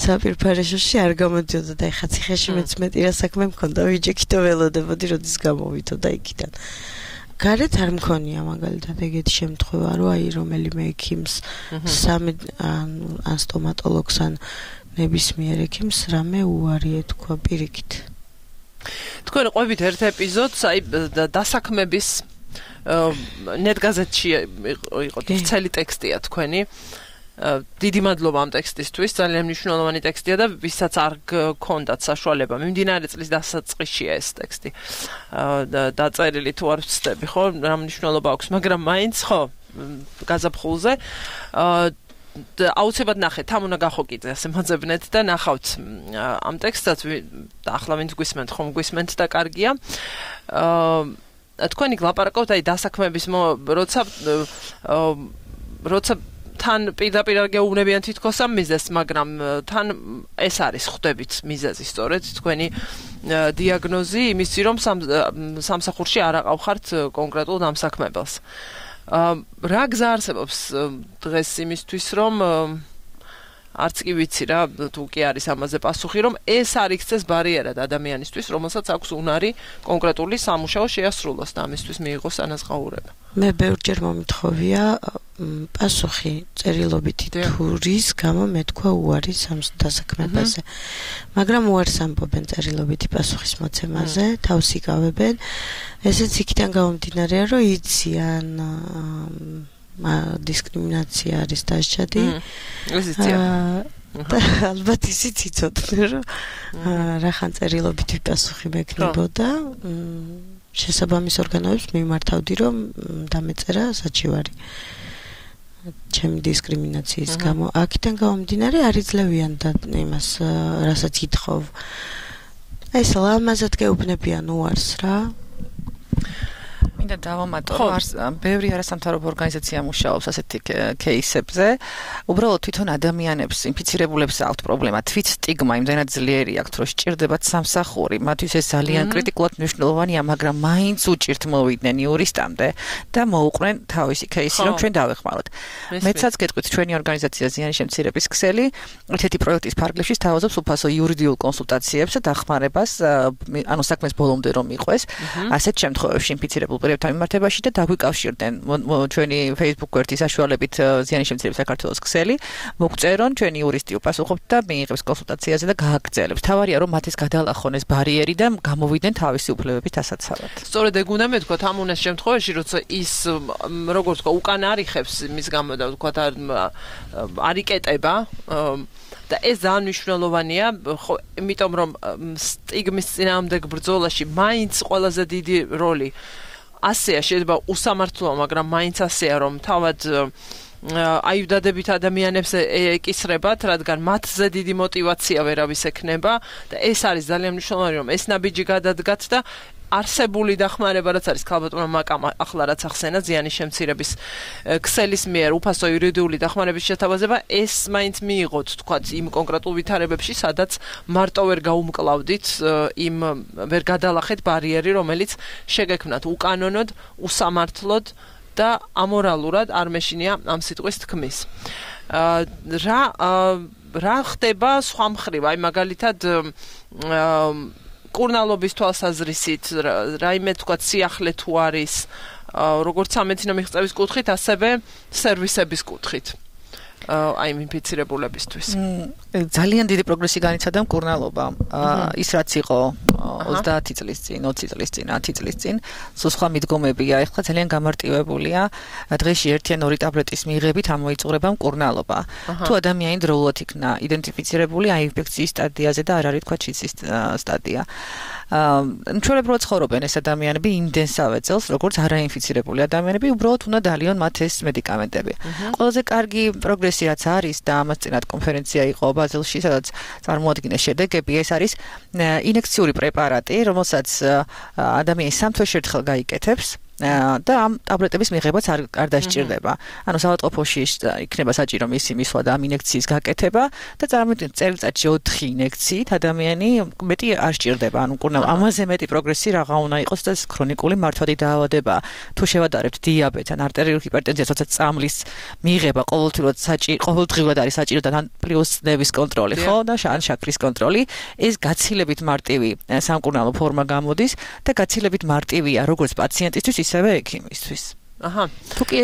საპირფარეშოში არ გამოდიოდა და ეხა ციხეში მეც მეტი რა საქმე მქონდა ვიჯექითო ველოდებოდი როდის გამოვიდო და იქიდან გარეთ არ მქონია მაგალითად ეგეთი შემთხვევა რომ აი რომელიმე ექიმს ან სტომატოლოგს ან ნებისმიერ ექიმს რამე უარი ეთქვა პირიქით.
თქვენ ყვებით ერთ ეპიზოდს აი დასაქმების ნეტგაზეთში იყო ცელი ტექსტია თქვენი. დიდი მადლობა ამ ტექსტისთვის, ძალიან მნიშვნელოვანი ტექსტია და ვისაც არ გქონდათ საშუალება, მიმდინარე წლის დასაწყისშია ეს ტექსტი. დაწერილი თუ არ ვცდები, ხო, რა მნიშვნელობა აქვს, მაგრამ მაინც ხო, გაზაფხულზე აუცილებლად ნახეთ, ამ უნდა გახოკიძე ასე მოძებნეთ და ნახავთ ამ ტექსტსაც და ახლა ვინც გვისმენთ, ხომ გვისმენთ და კარგია. თქვენი გლაპარაკობთ აი დასაქმების როცა თან პირდაპირ გეუბნებიან თითქოს ამ მიზეზს, მაგრამ თან ეს არის ხვდებით მიზეზი სწორედ თქვენი დიაგნოზი იმისი რომ სამსახურში არ აყავხართ კონკრეტულ დამსაქმებელს. რა გზა არსებობს დღეს იმისთვის რომ არც კი ვიცი რა თუ კი არის ამაზე პასუხი რომ ეს არ იქცეს ბარიერად ადამიანისთვის რომელსაც აქვს უნარი კონკრეტული სამუშაო შეასრულოს და ამისთვის მიიღოს ანაზღაურება.
მე ბევრჯერ მომითხოვია პასუხი წერილობითი თუ რის გამო მეთქვა უარი დასაქმებაზე. მაგრამ უარს ამბობენ წერილობითი პასუხის მოცემაზე, თავს იკავებენ. ესეც იქიდან გამომდინარეა, რომ იციან დისკრიმინაცია არის დასჯადი. ალბათ ისიც იცოდნენ, რომ რახან წერილობითი პასუხი მექნებოდა. შესაბამის ორგანოებს მიმართავდი, რომ დამეწერა საჩივარი. ჩემი დისკრიმინაციის გამო აქედან გამომდინარე არ იძლევიან და იმას რასაც ითხოვ. ეს ლამაზად გეუბნებიან უარს რა.
მინდა დავამატო, რომ ბევრი არასამთავრობო ორგანიზაცია მუშაობს ასეთი кейსებზე. უბრალოდ თვითონ ადამიანებს, ინფიცირებულებს აქვთ პრობლემა, თვით სტიგმა იმდენად ძლიერი აქვთ, რომ სჭირდებათ სამსახური. მათთვის ეს ძალიან კრიტიკულად მნიშვნელოვანია, მაგრამ მაინც უჭირთ მოვიდნენ იურისტამდე და მოუყრენ თავისი кейსი, რომ ჩვენ დავეხმაროთ. მეცაც გეტყვით, ჩვენი ორგანიზაცია ზიანის შემცირების ქსელი ერთ-ერთი პროექტის ფარგლებში სთავაზობს უფასო იურიდიულ კონსულტაციებს და დახმარებას, ანუ საქმეს ბოლომდე რომ მიყვეს. ასეთ შემთხვევებში ინფიცირებულ პირებთან მიმართებაში და დაგვიკავშირდნენ ჩვენი Facebook გვერდის საშუალებით ზიანის შემცირების საქართველოს ქსელი, მოგწერონ, ჩვენი იურისტი უპასუხობთ და მიიღებს კონსულტაციაზე და გააგრძელებს. თავარია რომ მათ ეს გადალახონ ეს ბარიერი და გამოვიდნენ თავისი უფლებებით ასაცავად.
სწორედ ეგ უნდა მეთქვათ ამ უნეს შემთხვევაში, როცა ის როგორც თქვა უკან არიხებს იმის გამო და თქვა არიკეტება და ეს ძალიან მნიშვნელოვანია, ხო, იმიტომ რომ სტიგმის წინააღმდეგ ბრძოლაში მაინც ყველაზე დიდი როლი ასეა, შეიძლება უსამართლოა, მაგრამ მაინც ასეა, რომ თავად აიუდადებით ადამიანებს ეკისრებათ, რადგან მათზე დიდი мотиваცია ვერავის ექნება და ეს არის ძალიან მნიშვნელოვანი, რომ ეს ნაბიჯი გადადგათ და არსებული დახმარება რაც არის ქალბატონმა მაკამ ახლა რაც ახსენა ზიანის შემცირების ქსელის მიერ უფასო იურიდიული დახმარების შეთავაზება ეს მაინც მიიღოთ თქვათ იმ კონკრეტულ ვითარებებში სადაც მარტო ვერ გაუმკლავდით იმ ვერ გადალახეთ ბარიერი რომელიც შეგექმნათ უკანონოდ usამართლოდ და ამორალურად არ მეშინია ამ სიტყვის თქმის რა ხდება სხვა მხრივ აი მაგალითად კურნალობის თვალსაზრისით რაიმე თქვა სიახლე თუ არის როგორც სამედიცინო მიღწევის კუთხით ასევე სერვისების კუთხით აი ინფიცირებულებისთვის
ძალიან დიდი პროგრესი განიცადა მკურნალობა ის რაც იყო 30 წლის წინ 20 წლის წინ 10 წლის წინ სხვა მიდგომებია ეხლა ძალიან გამარტივებულია დღეში 1 ან 2 ტაბლეტის მიღებით ამოიწურება მკურნალობა თუ ადამიანი დროულად იქნა იდენტიფიცირებული აი ინფექციის სტადიაზე და არ არის თქვა ჩიცის სტადია ჩვეულებრივად ცხოვრობენ ეს ადამიანები იმდენსავე წელს როგორც არაინფიცირებული ადამიანები უბრალოდ უნდა დალიონ მათ ეს მედიკამენტები ყველაზე კარგი პროგრესი რაც არის და ამას წინათ კონფერენცია იყო ბაზელში სადაც წარმოადგინეს შედეგები ეს არის ინექციური პრეპარატი რომელსაც ადამიანი 3 თვეში ერთხელ გაიკეთებს და ამ ტაბლეტების მიღებაც არ დასჭირდება. ანუ საავადმყოფოში იქნება საჭირო მისი მისვლა და ამ ინექციის გაკეთება და წარმოიდგინეთ წელიწადში 4 ინექციით ადამიანი მეტი არ სჭირდება. ანუ ამაზე მეტი პროგრესი რაღა უნდა იყოს და ქრონიკული მართვადი დაავადება. თუ შევადარებთ დიაბეტს ან არტერიული ჰიპერტენზიას, როცა წამლის მიღება ყოველდღიურად არის საჭირო და პლუს ნერვის კონტროლი, ხო? და შაქრის კონტროლი. ეს გაცილებით მარტივი სამკურნალო ფორმა გამოდის და გაცილებით მარტივია როგორც პაციენტისთვის ისევე ექიმისთვის.
აჰა.
თუკი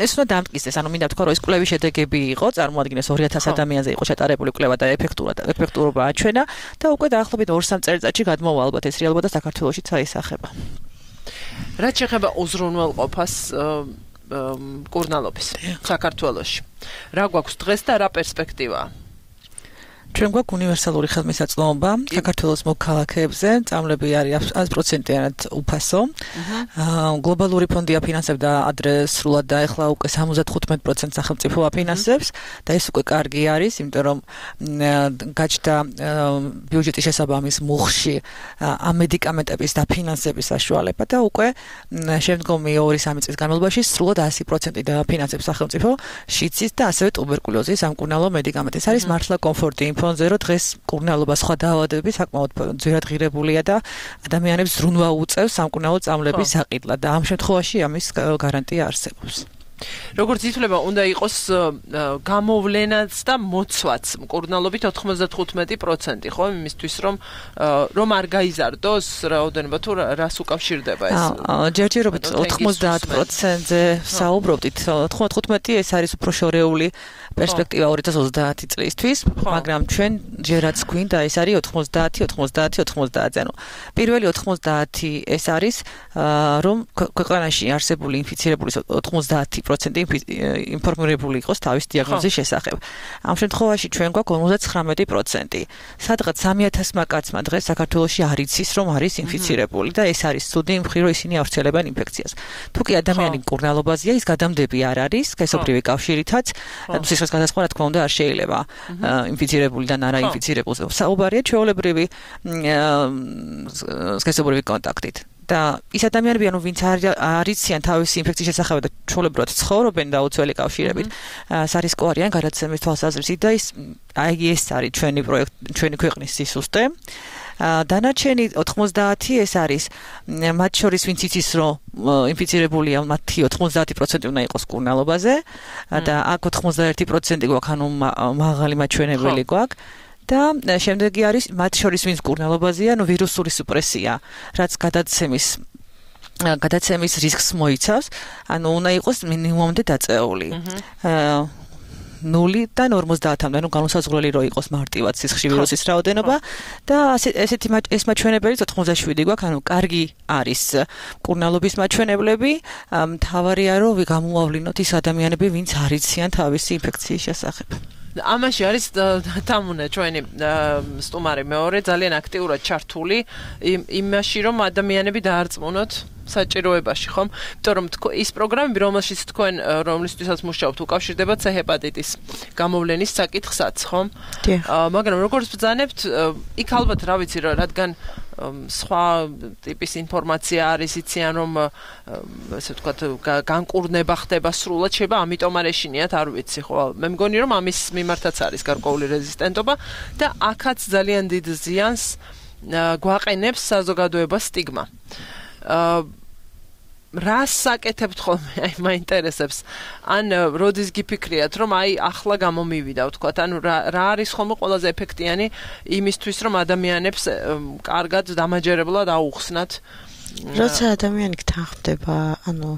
ეს უნდა დამტკიცდეს, ანუ მინდა ვთქვა, რომ ეს კვლევის შედეგები იყო, წარმოადგენს 2000 ადამიანზე იყო შეტარებული კვლევა და ეფექტურობა აჩვენა და უკვე დაახლოებით 2-3 წელიწადში გადმოვა ალბათ ეს რეალობა და საქართველოშიც აისახება.
რაც შეეხება უზრუნველყოფას მკურნალობის საქართველოში. რა გვაქვს დღეს და რა პერსპექტივაა?
ჩვენ გვაქვს უნივერსალური ხელმისაწვდომობა საქართველოს მოქალაქეებზე, წამლები არის 100%-იანად უფასო. გლობალური ფონდი აფინანსებდა ადრე სრულად და ახლა უკვე 75% სახელმწიფო აფინანსებს და ეს უკვე კარგი არის, იმიტომ რომ გაჩნდა ბიუჯეტის შესაბამის მუხში ამ მედიკამენტების დაფინანსების საშუალება და უკვე შემდგომი 2-3 წლის განმავლობაში სრულად 100% დააფინანსებს სახელმწიფო შიცის და ასევე ტუბერკულოზის სამკურნალო მედიკამენტებს. არის მართლა კომფორტი ფონზე რომ დღეს მკურნალობა სხვა დაავადებები საკმაოდ ძვირად ღირებულია და ადამიანებს ზრუნვა უწევს სამკურნალო წამლების საყიდლად და ამ შემთხვევაში ამის გარანტია არსებობს.
როგორც ითვლება, უნდა იყოს გამოვლენაც და მოცვაც მკურნალობით 95%, ხო, იმისთვის რომ არ გაიზარდოს რაოდენობა თუ რას უკავშირდება ეს.
ჯერჯერობით 90%-ზე საუბრობთ, 95 ეს არის უფრო შორეული პერსპექტივა 2030 წლისთვის, მაგრამ ჩვენ ჯერაც გვინდა ეს არის 90. ანუ პირველი 90 ეს არის რომ ქვეყანაში არსებული ინფიცირებულის 90% ინფორმირებული იყოს თავის დიაგნოზის შესახებ. ამ შემთხვევაში ჩვენ გვაქვს 59%. სადღაც 3000 კაცმა დღეს საქართველოში არ იცის რომ არის ინფიცირებული და ეს არის ცუდი მხრივ რომ ისინი ავრცელებენ ინფექციას. თუ კი ადამიანი მკურნალობაზეა, ის გადამდები არ არის, სქესობრივი კავშირითაც, სისხლის გადასხმა რა თქმა უნდა არ შეიძლება ინფიცირებულიდან არაინფიცირებულზე. საუბარია ჩვეულებრივი სქესობრივი კონტაქტით. და ის ადამიანები ანუ ვინც არიციან თავისი ინფექციის შესახებ და ჩვეულებრივად ცხოვრობენ დაუცველი კავშირებით სარისკო არიან გადაცემის თვალსაზრისით და ეს არის ჩვენი ქვეყნის სისუსტე დანარჩენი 90 ეს არის მათ შორის ვინც იცის რომ ინფიცირებულია მათი 90% უნდა იყოს კურნალობაზე და აქ 91% გვაქვს ანუ მაღალი მაჩვენებელი გვაქვს და შემდეგი არის მათ შორის ვინც კურნალობაზეა ანუ ვირუსული სუპრესია რაც გადაცემის რისკს მოიცავს ანუ უნდა იყოს მინიმუმამდე დაწეული 0-დან 50-მდე, ანუ განუსაზღვრელი რო იყოს მარტივად სისხლში ვირუსის რაოდენობა და ეს მაჩვენებელიც 97 გვაქვს, ანუ კარგი არის კურნალობის მაჩვენებლები, მთავარია რომ გამოავლინოთ ის ადამიანები, ვინც არიციან თავისი ინფექციის შესახებ.
ამაში არის თამუნე ჩვენი სტუმარი მეორე ძალიან აქტიურად ჩართული იმაში რომ ადამიანები დაარწმუნოთ საჭიროებაში ხომ? იმიტომ რომ ის პროგრამები რომელშიც თქვენ რომლისთვისაც მუშაობთ უკავშირდება C ჰეპატიტის გამოვლენის საკითხსაც ხომ? მაგრამ როგორც ბრძანებთ იქ ალბათ რა ვიცი რადგან სხვა ტიპის ინფორმაცია არის იციან რომ ესე ვთქვათ განკურნება ხდება სრულად შეიძლება ამიტომ არ ეშინიათ არ ვიცი ხო მე მგონი რომ ამის მიმართაც არის გარკვეული რეზისტენტობა და აქაც ძალიან დიდ ზიანს გვაყენებს საზოგადოებას სტიგმა რას საკეთებთ ხოლმე აი მაინტერესებს ან როდის გიფიქრიათ რომ აი ახლა გამომივიდა ვთქვათ ანუ რა არის ხოლმე ყველაზე ეფექტიანი იმისთვის რომ ადამიანებს კარგად დამაჯერებლად აუხსნათ
როცა ადამიანი გთანხმდება ანუ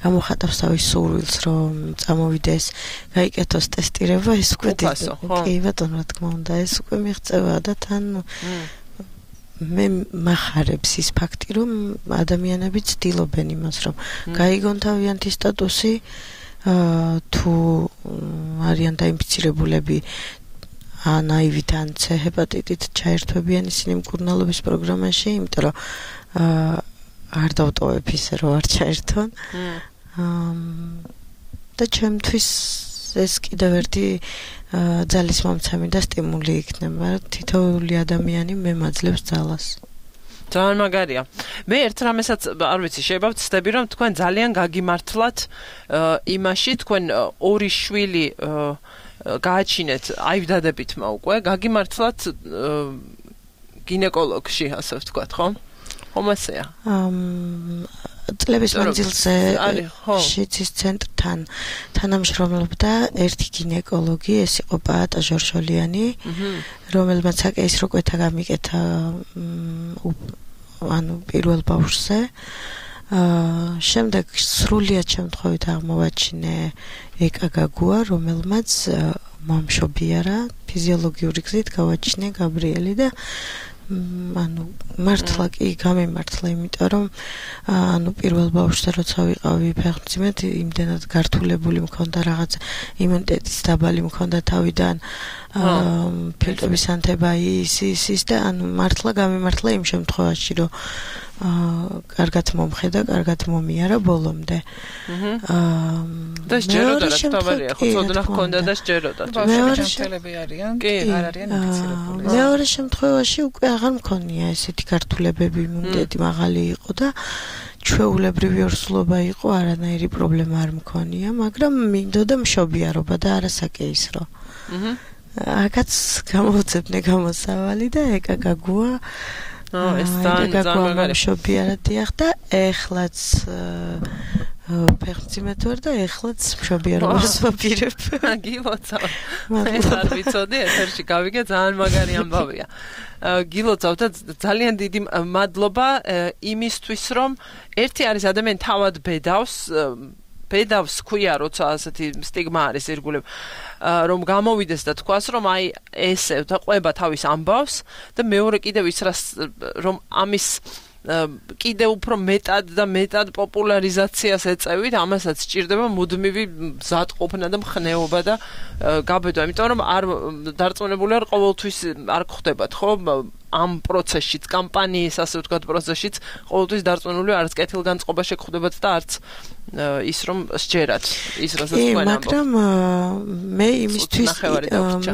გამოხატავს თავის სურვილს რომ წამოვიდეს გაიკეთოს ტესტირება ეს უკვე კი ბატონო რა თქმა უნდა ეს უკვე მიღწევა და თან მე მახარებს ის ფაქტი რომ ადამიანები ცდილობენ იმას რომ გაიგონ თავიანთი სტატუსი თუ არიან დაინფიცირებულები ან აივით ან C ჰეპატიტით ჩაერთვებიან ისინი მკურნალობის პროგრამაში იმიტომ რომ არ დავტოვებ ისე რომ არ ჩაერთვან და ჩემთვის ეს კიდევ ერთი ძალისმომცემი და სტიმული იქნება თითოეული ადამიანი მემაძლევს ძალას
ძალიან მაგარია მე ერთ რამესაც არ ვიცი შეიძლება ვცდები რომ თქვენ ძალიან გაგიმართლათ იმაში თქვენ ორი შვილი გააჩინეთ აივდადებითმა უკვე გაგიმართლათ გინეკოლოგში ასე ვთქვათ ხო ხომ ასეა წლების მანძილზე შიცის ცენტრთან თანამშრომლობდა ერთი გინეკოლოგი ეს იყო პაატა ჟორჟოლიანი რომელმაც საკეისრო კვეთა გამიკეთა ანუ პირველ ბავშვზე შემდეგ სრულიად შემთხვევით აღმოვაჩინე ეკაგაგუა რომელმაც მომშობიარა ფიზიოლოგიური გზით გავაჩინე გაბრიელი და ანუ მართლა კი გამემართლა იმიტომ რომ ანუ პირველ ბავშვზე როცა ვიყავი ფეხმძიმედ იმდენად გართულებული მქონდა რაღაც იმუნიტეტის დაბალი მქონდა თავიდან ფილტვების ანთება ის და ანუ მართლა გამემართლა იმ შემთხვევაში რომ კარგად მომხედა, კარგად მომიარა ბოლომდე. და სჯეროდა რა თქმა ხო ცოდნა ჰქონდა და სჯეროდა.
მეორე შემთხვევები არიან, კი, არ არიან ინფიცირებული.
მეორე შემთხვევაში უკვე აღარ მქონია ესეთი გართულებები, იმუნიტეტი მაღალი იყო და ჩვეულებრივი ორსულობა იყო, არანაირი პრობლემა არ მქონია, მაგრამ მინდოდა მშობიარობა და არასაკეისრო. აქაც გამოვწებნე გამოსავალი და ეკაგაგუა
ეს ძალიან
მშობიარად დიახ და ეხლაც ფეხმძიმედ ვარ და ეხლაც მშობიარობას ვაპირებ.
გილოცავ. ეს არ ვიცოდი, ეთერში გავიგე, ძალიან მაგარი ამბავია. გილოცავ და ძალიან დიდი მადლობა იმისთვის, რომ ერთი არის ადამიანი თავად ბედავს ქვია, როცა ასეთი სტიგმა არის ირგვლივ, რომ გამოვიდეს და თქვას, რომ აი ესე და ყვება თავის ამბავს და მეორე კიდევ ის რომ ამის კიდევ უფრო მეტად და მეტად პოპულარიზაციას ეწევით, ამასაც სჭირდება მუდმივი მზადყოფნა და მხნეობა და გაბედვა, იმიტომ რომ არ დარწმუნებული არ ყოველთვის არ გხვდებათ, ხო? ამ პროცესშიც, კამპანიის ასე ვთქვათ პროცესშიც ყოველთვის დარწმუნებული არც კეთილგანწყობა შეგხვდებათ და არც ის რომ სჯერათ ის რასაც თქვენ ამბობთ.
მაგრამ მე იმისთვის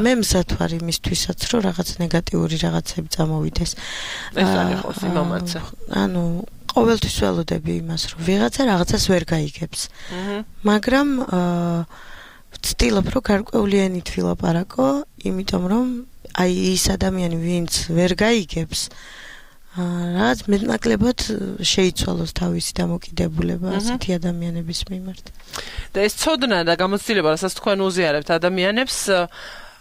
მე მზად ვარ იმისთვისაც რომ რაღაც ნეგატიური რაღაცები წამოვიდეს.
ეს არის ხო სიმამაცე.
ანუ ყოველთვის ველოდები იმას, რომ ვიღაცა რაღაცას ვერ გაიგებს. მაგრამ ვცდილობ, რომ გარკვეულიანით ვილაპარაკო, იმიტომ რომ აი ის ადამიანი, ვინც ვერ გაიგებს, რაც მეტნაკლებად შეიცვალოს თავისი დამოკიდებულება ასეთი ადამიანების მიმართ.
და ეს ცოდნა და გამოცდილება, რასაც თქვენ უზიარებთ ადამიანებს,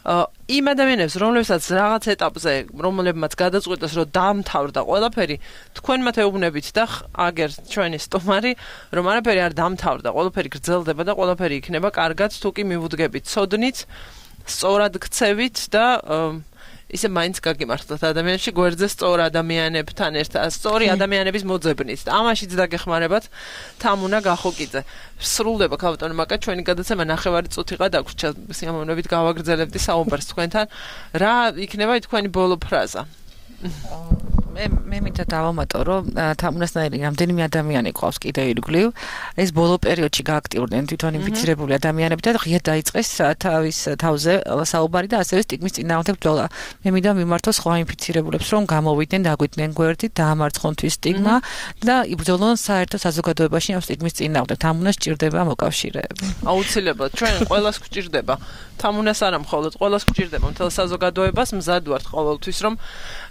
იმ ადამიანებს, რომლებსაც რაღაც ეტაპზე, რომლებმაც გადაწყვიტეს, რომ დამთავრდა ყველაფერი, თქვენ მათ ეუბნებით და აგერ ჩვენი სტუმარი, რომ არაფერი არ დამთავრდა, ყველაფერი გრძელდება და ყველაფერი იქნება კარგად, თუ კი მივუდგებით ცოდნით, სწორად გქცევით და ისე მაინც გაგიმართლოთ ადამიანებში გვერდზე სწორ ადამიანებთან ერთად, სწორი ადამიანების მოძებნით. ამაშიც დაგეხმარებათ თამუნა გახოკიძე. სრულდება ქალბატონო მაკა ჩვენი გადაცემა 9 წუთიღა დაგვრჩა, სიამოვნებით გავაგრძელებდი საუბარს თქვენთან. რა იქნება თქვენი ბოლო ფრაზა?
მე მინდა დავამატო, რომ თამუნასნაირი რამდენიმე ადამიანი ყავს კიდევ ირგვლივ. ეს ბოლო პერიოდში გააქტიურდნენ თვითონ ინფიცირებული ადამიანები და ღია დაიწყეს თავის თავზე საუბარი და ასევე სტიგმის წინააღმდეგ ბრძოლა. მე მინდა მიმართოს სხვა ინფიცირებულებს, რომ გამოვიდნენ, დაგვიდნენ გვერდით, დაამარცხონ თვის სტიგმა და იბრძოლონ საერთო საზოგადოებაში ამ სტიგმის წინააღმდეგ. თამუნას სჭირდება მოკავშირეები.
აუცილებლად, ჩვენ ყველას გვჭირდება. თამუნას არა მხოლოდ, ყველას გვჭირდება მთელ საზოგადოებას, მზად ვართ ყოველთვის, რომ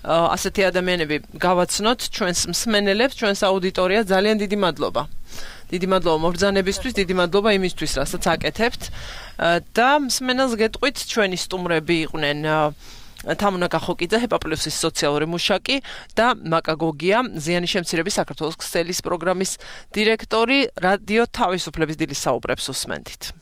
ასეთი ადამიანები გავაცნოთ ჩვენს მსმენელებს, ჩვენს აუდიტორიას. ძალიან დიდი მადლობა. დიდი მადლობა მობრძანებისთვის, დიდი მადლობა იმისთვის, რასაც აკეთებთ. და მსმენელს გეტყვით, ჩვენი სტუმრები იყვნენ თამუნა გახოკიძე, ჰეპაპლუსის სოციალური მუშაკი და მაკა გოგია, ზიანის შემცირების საქართველოს ქსელის პროგრამის დირექტორი. რადიო თავისუფლების დილის საუბრებს უსმენთ.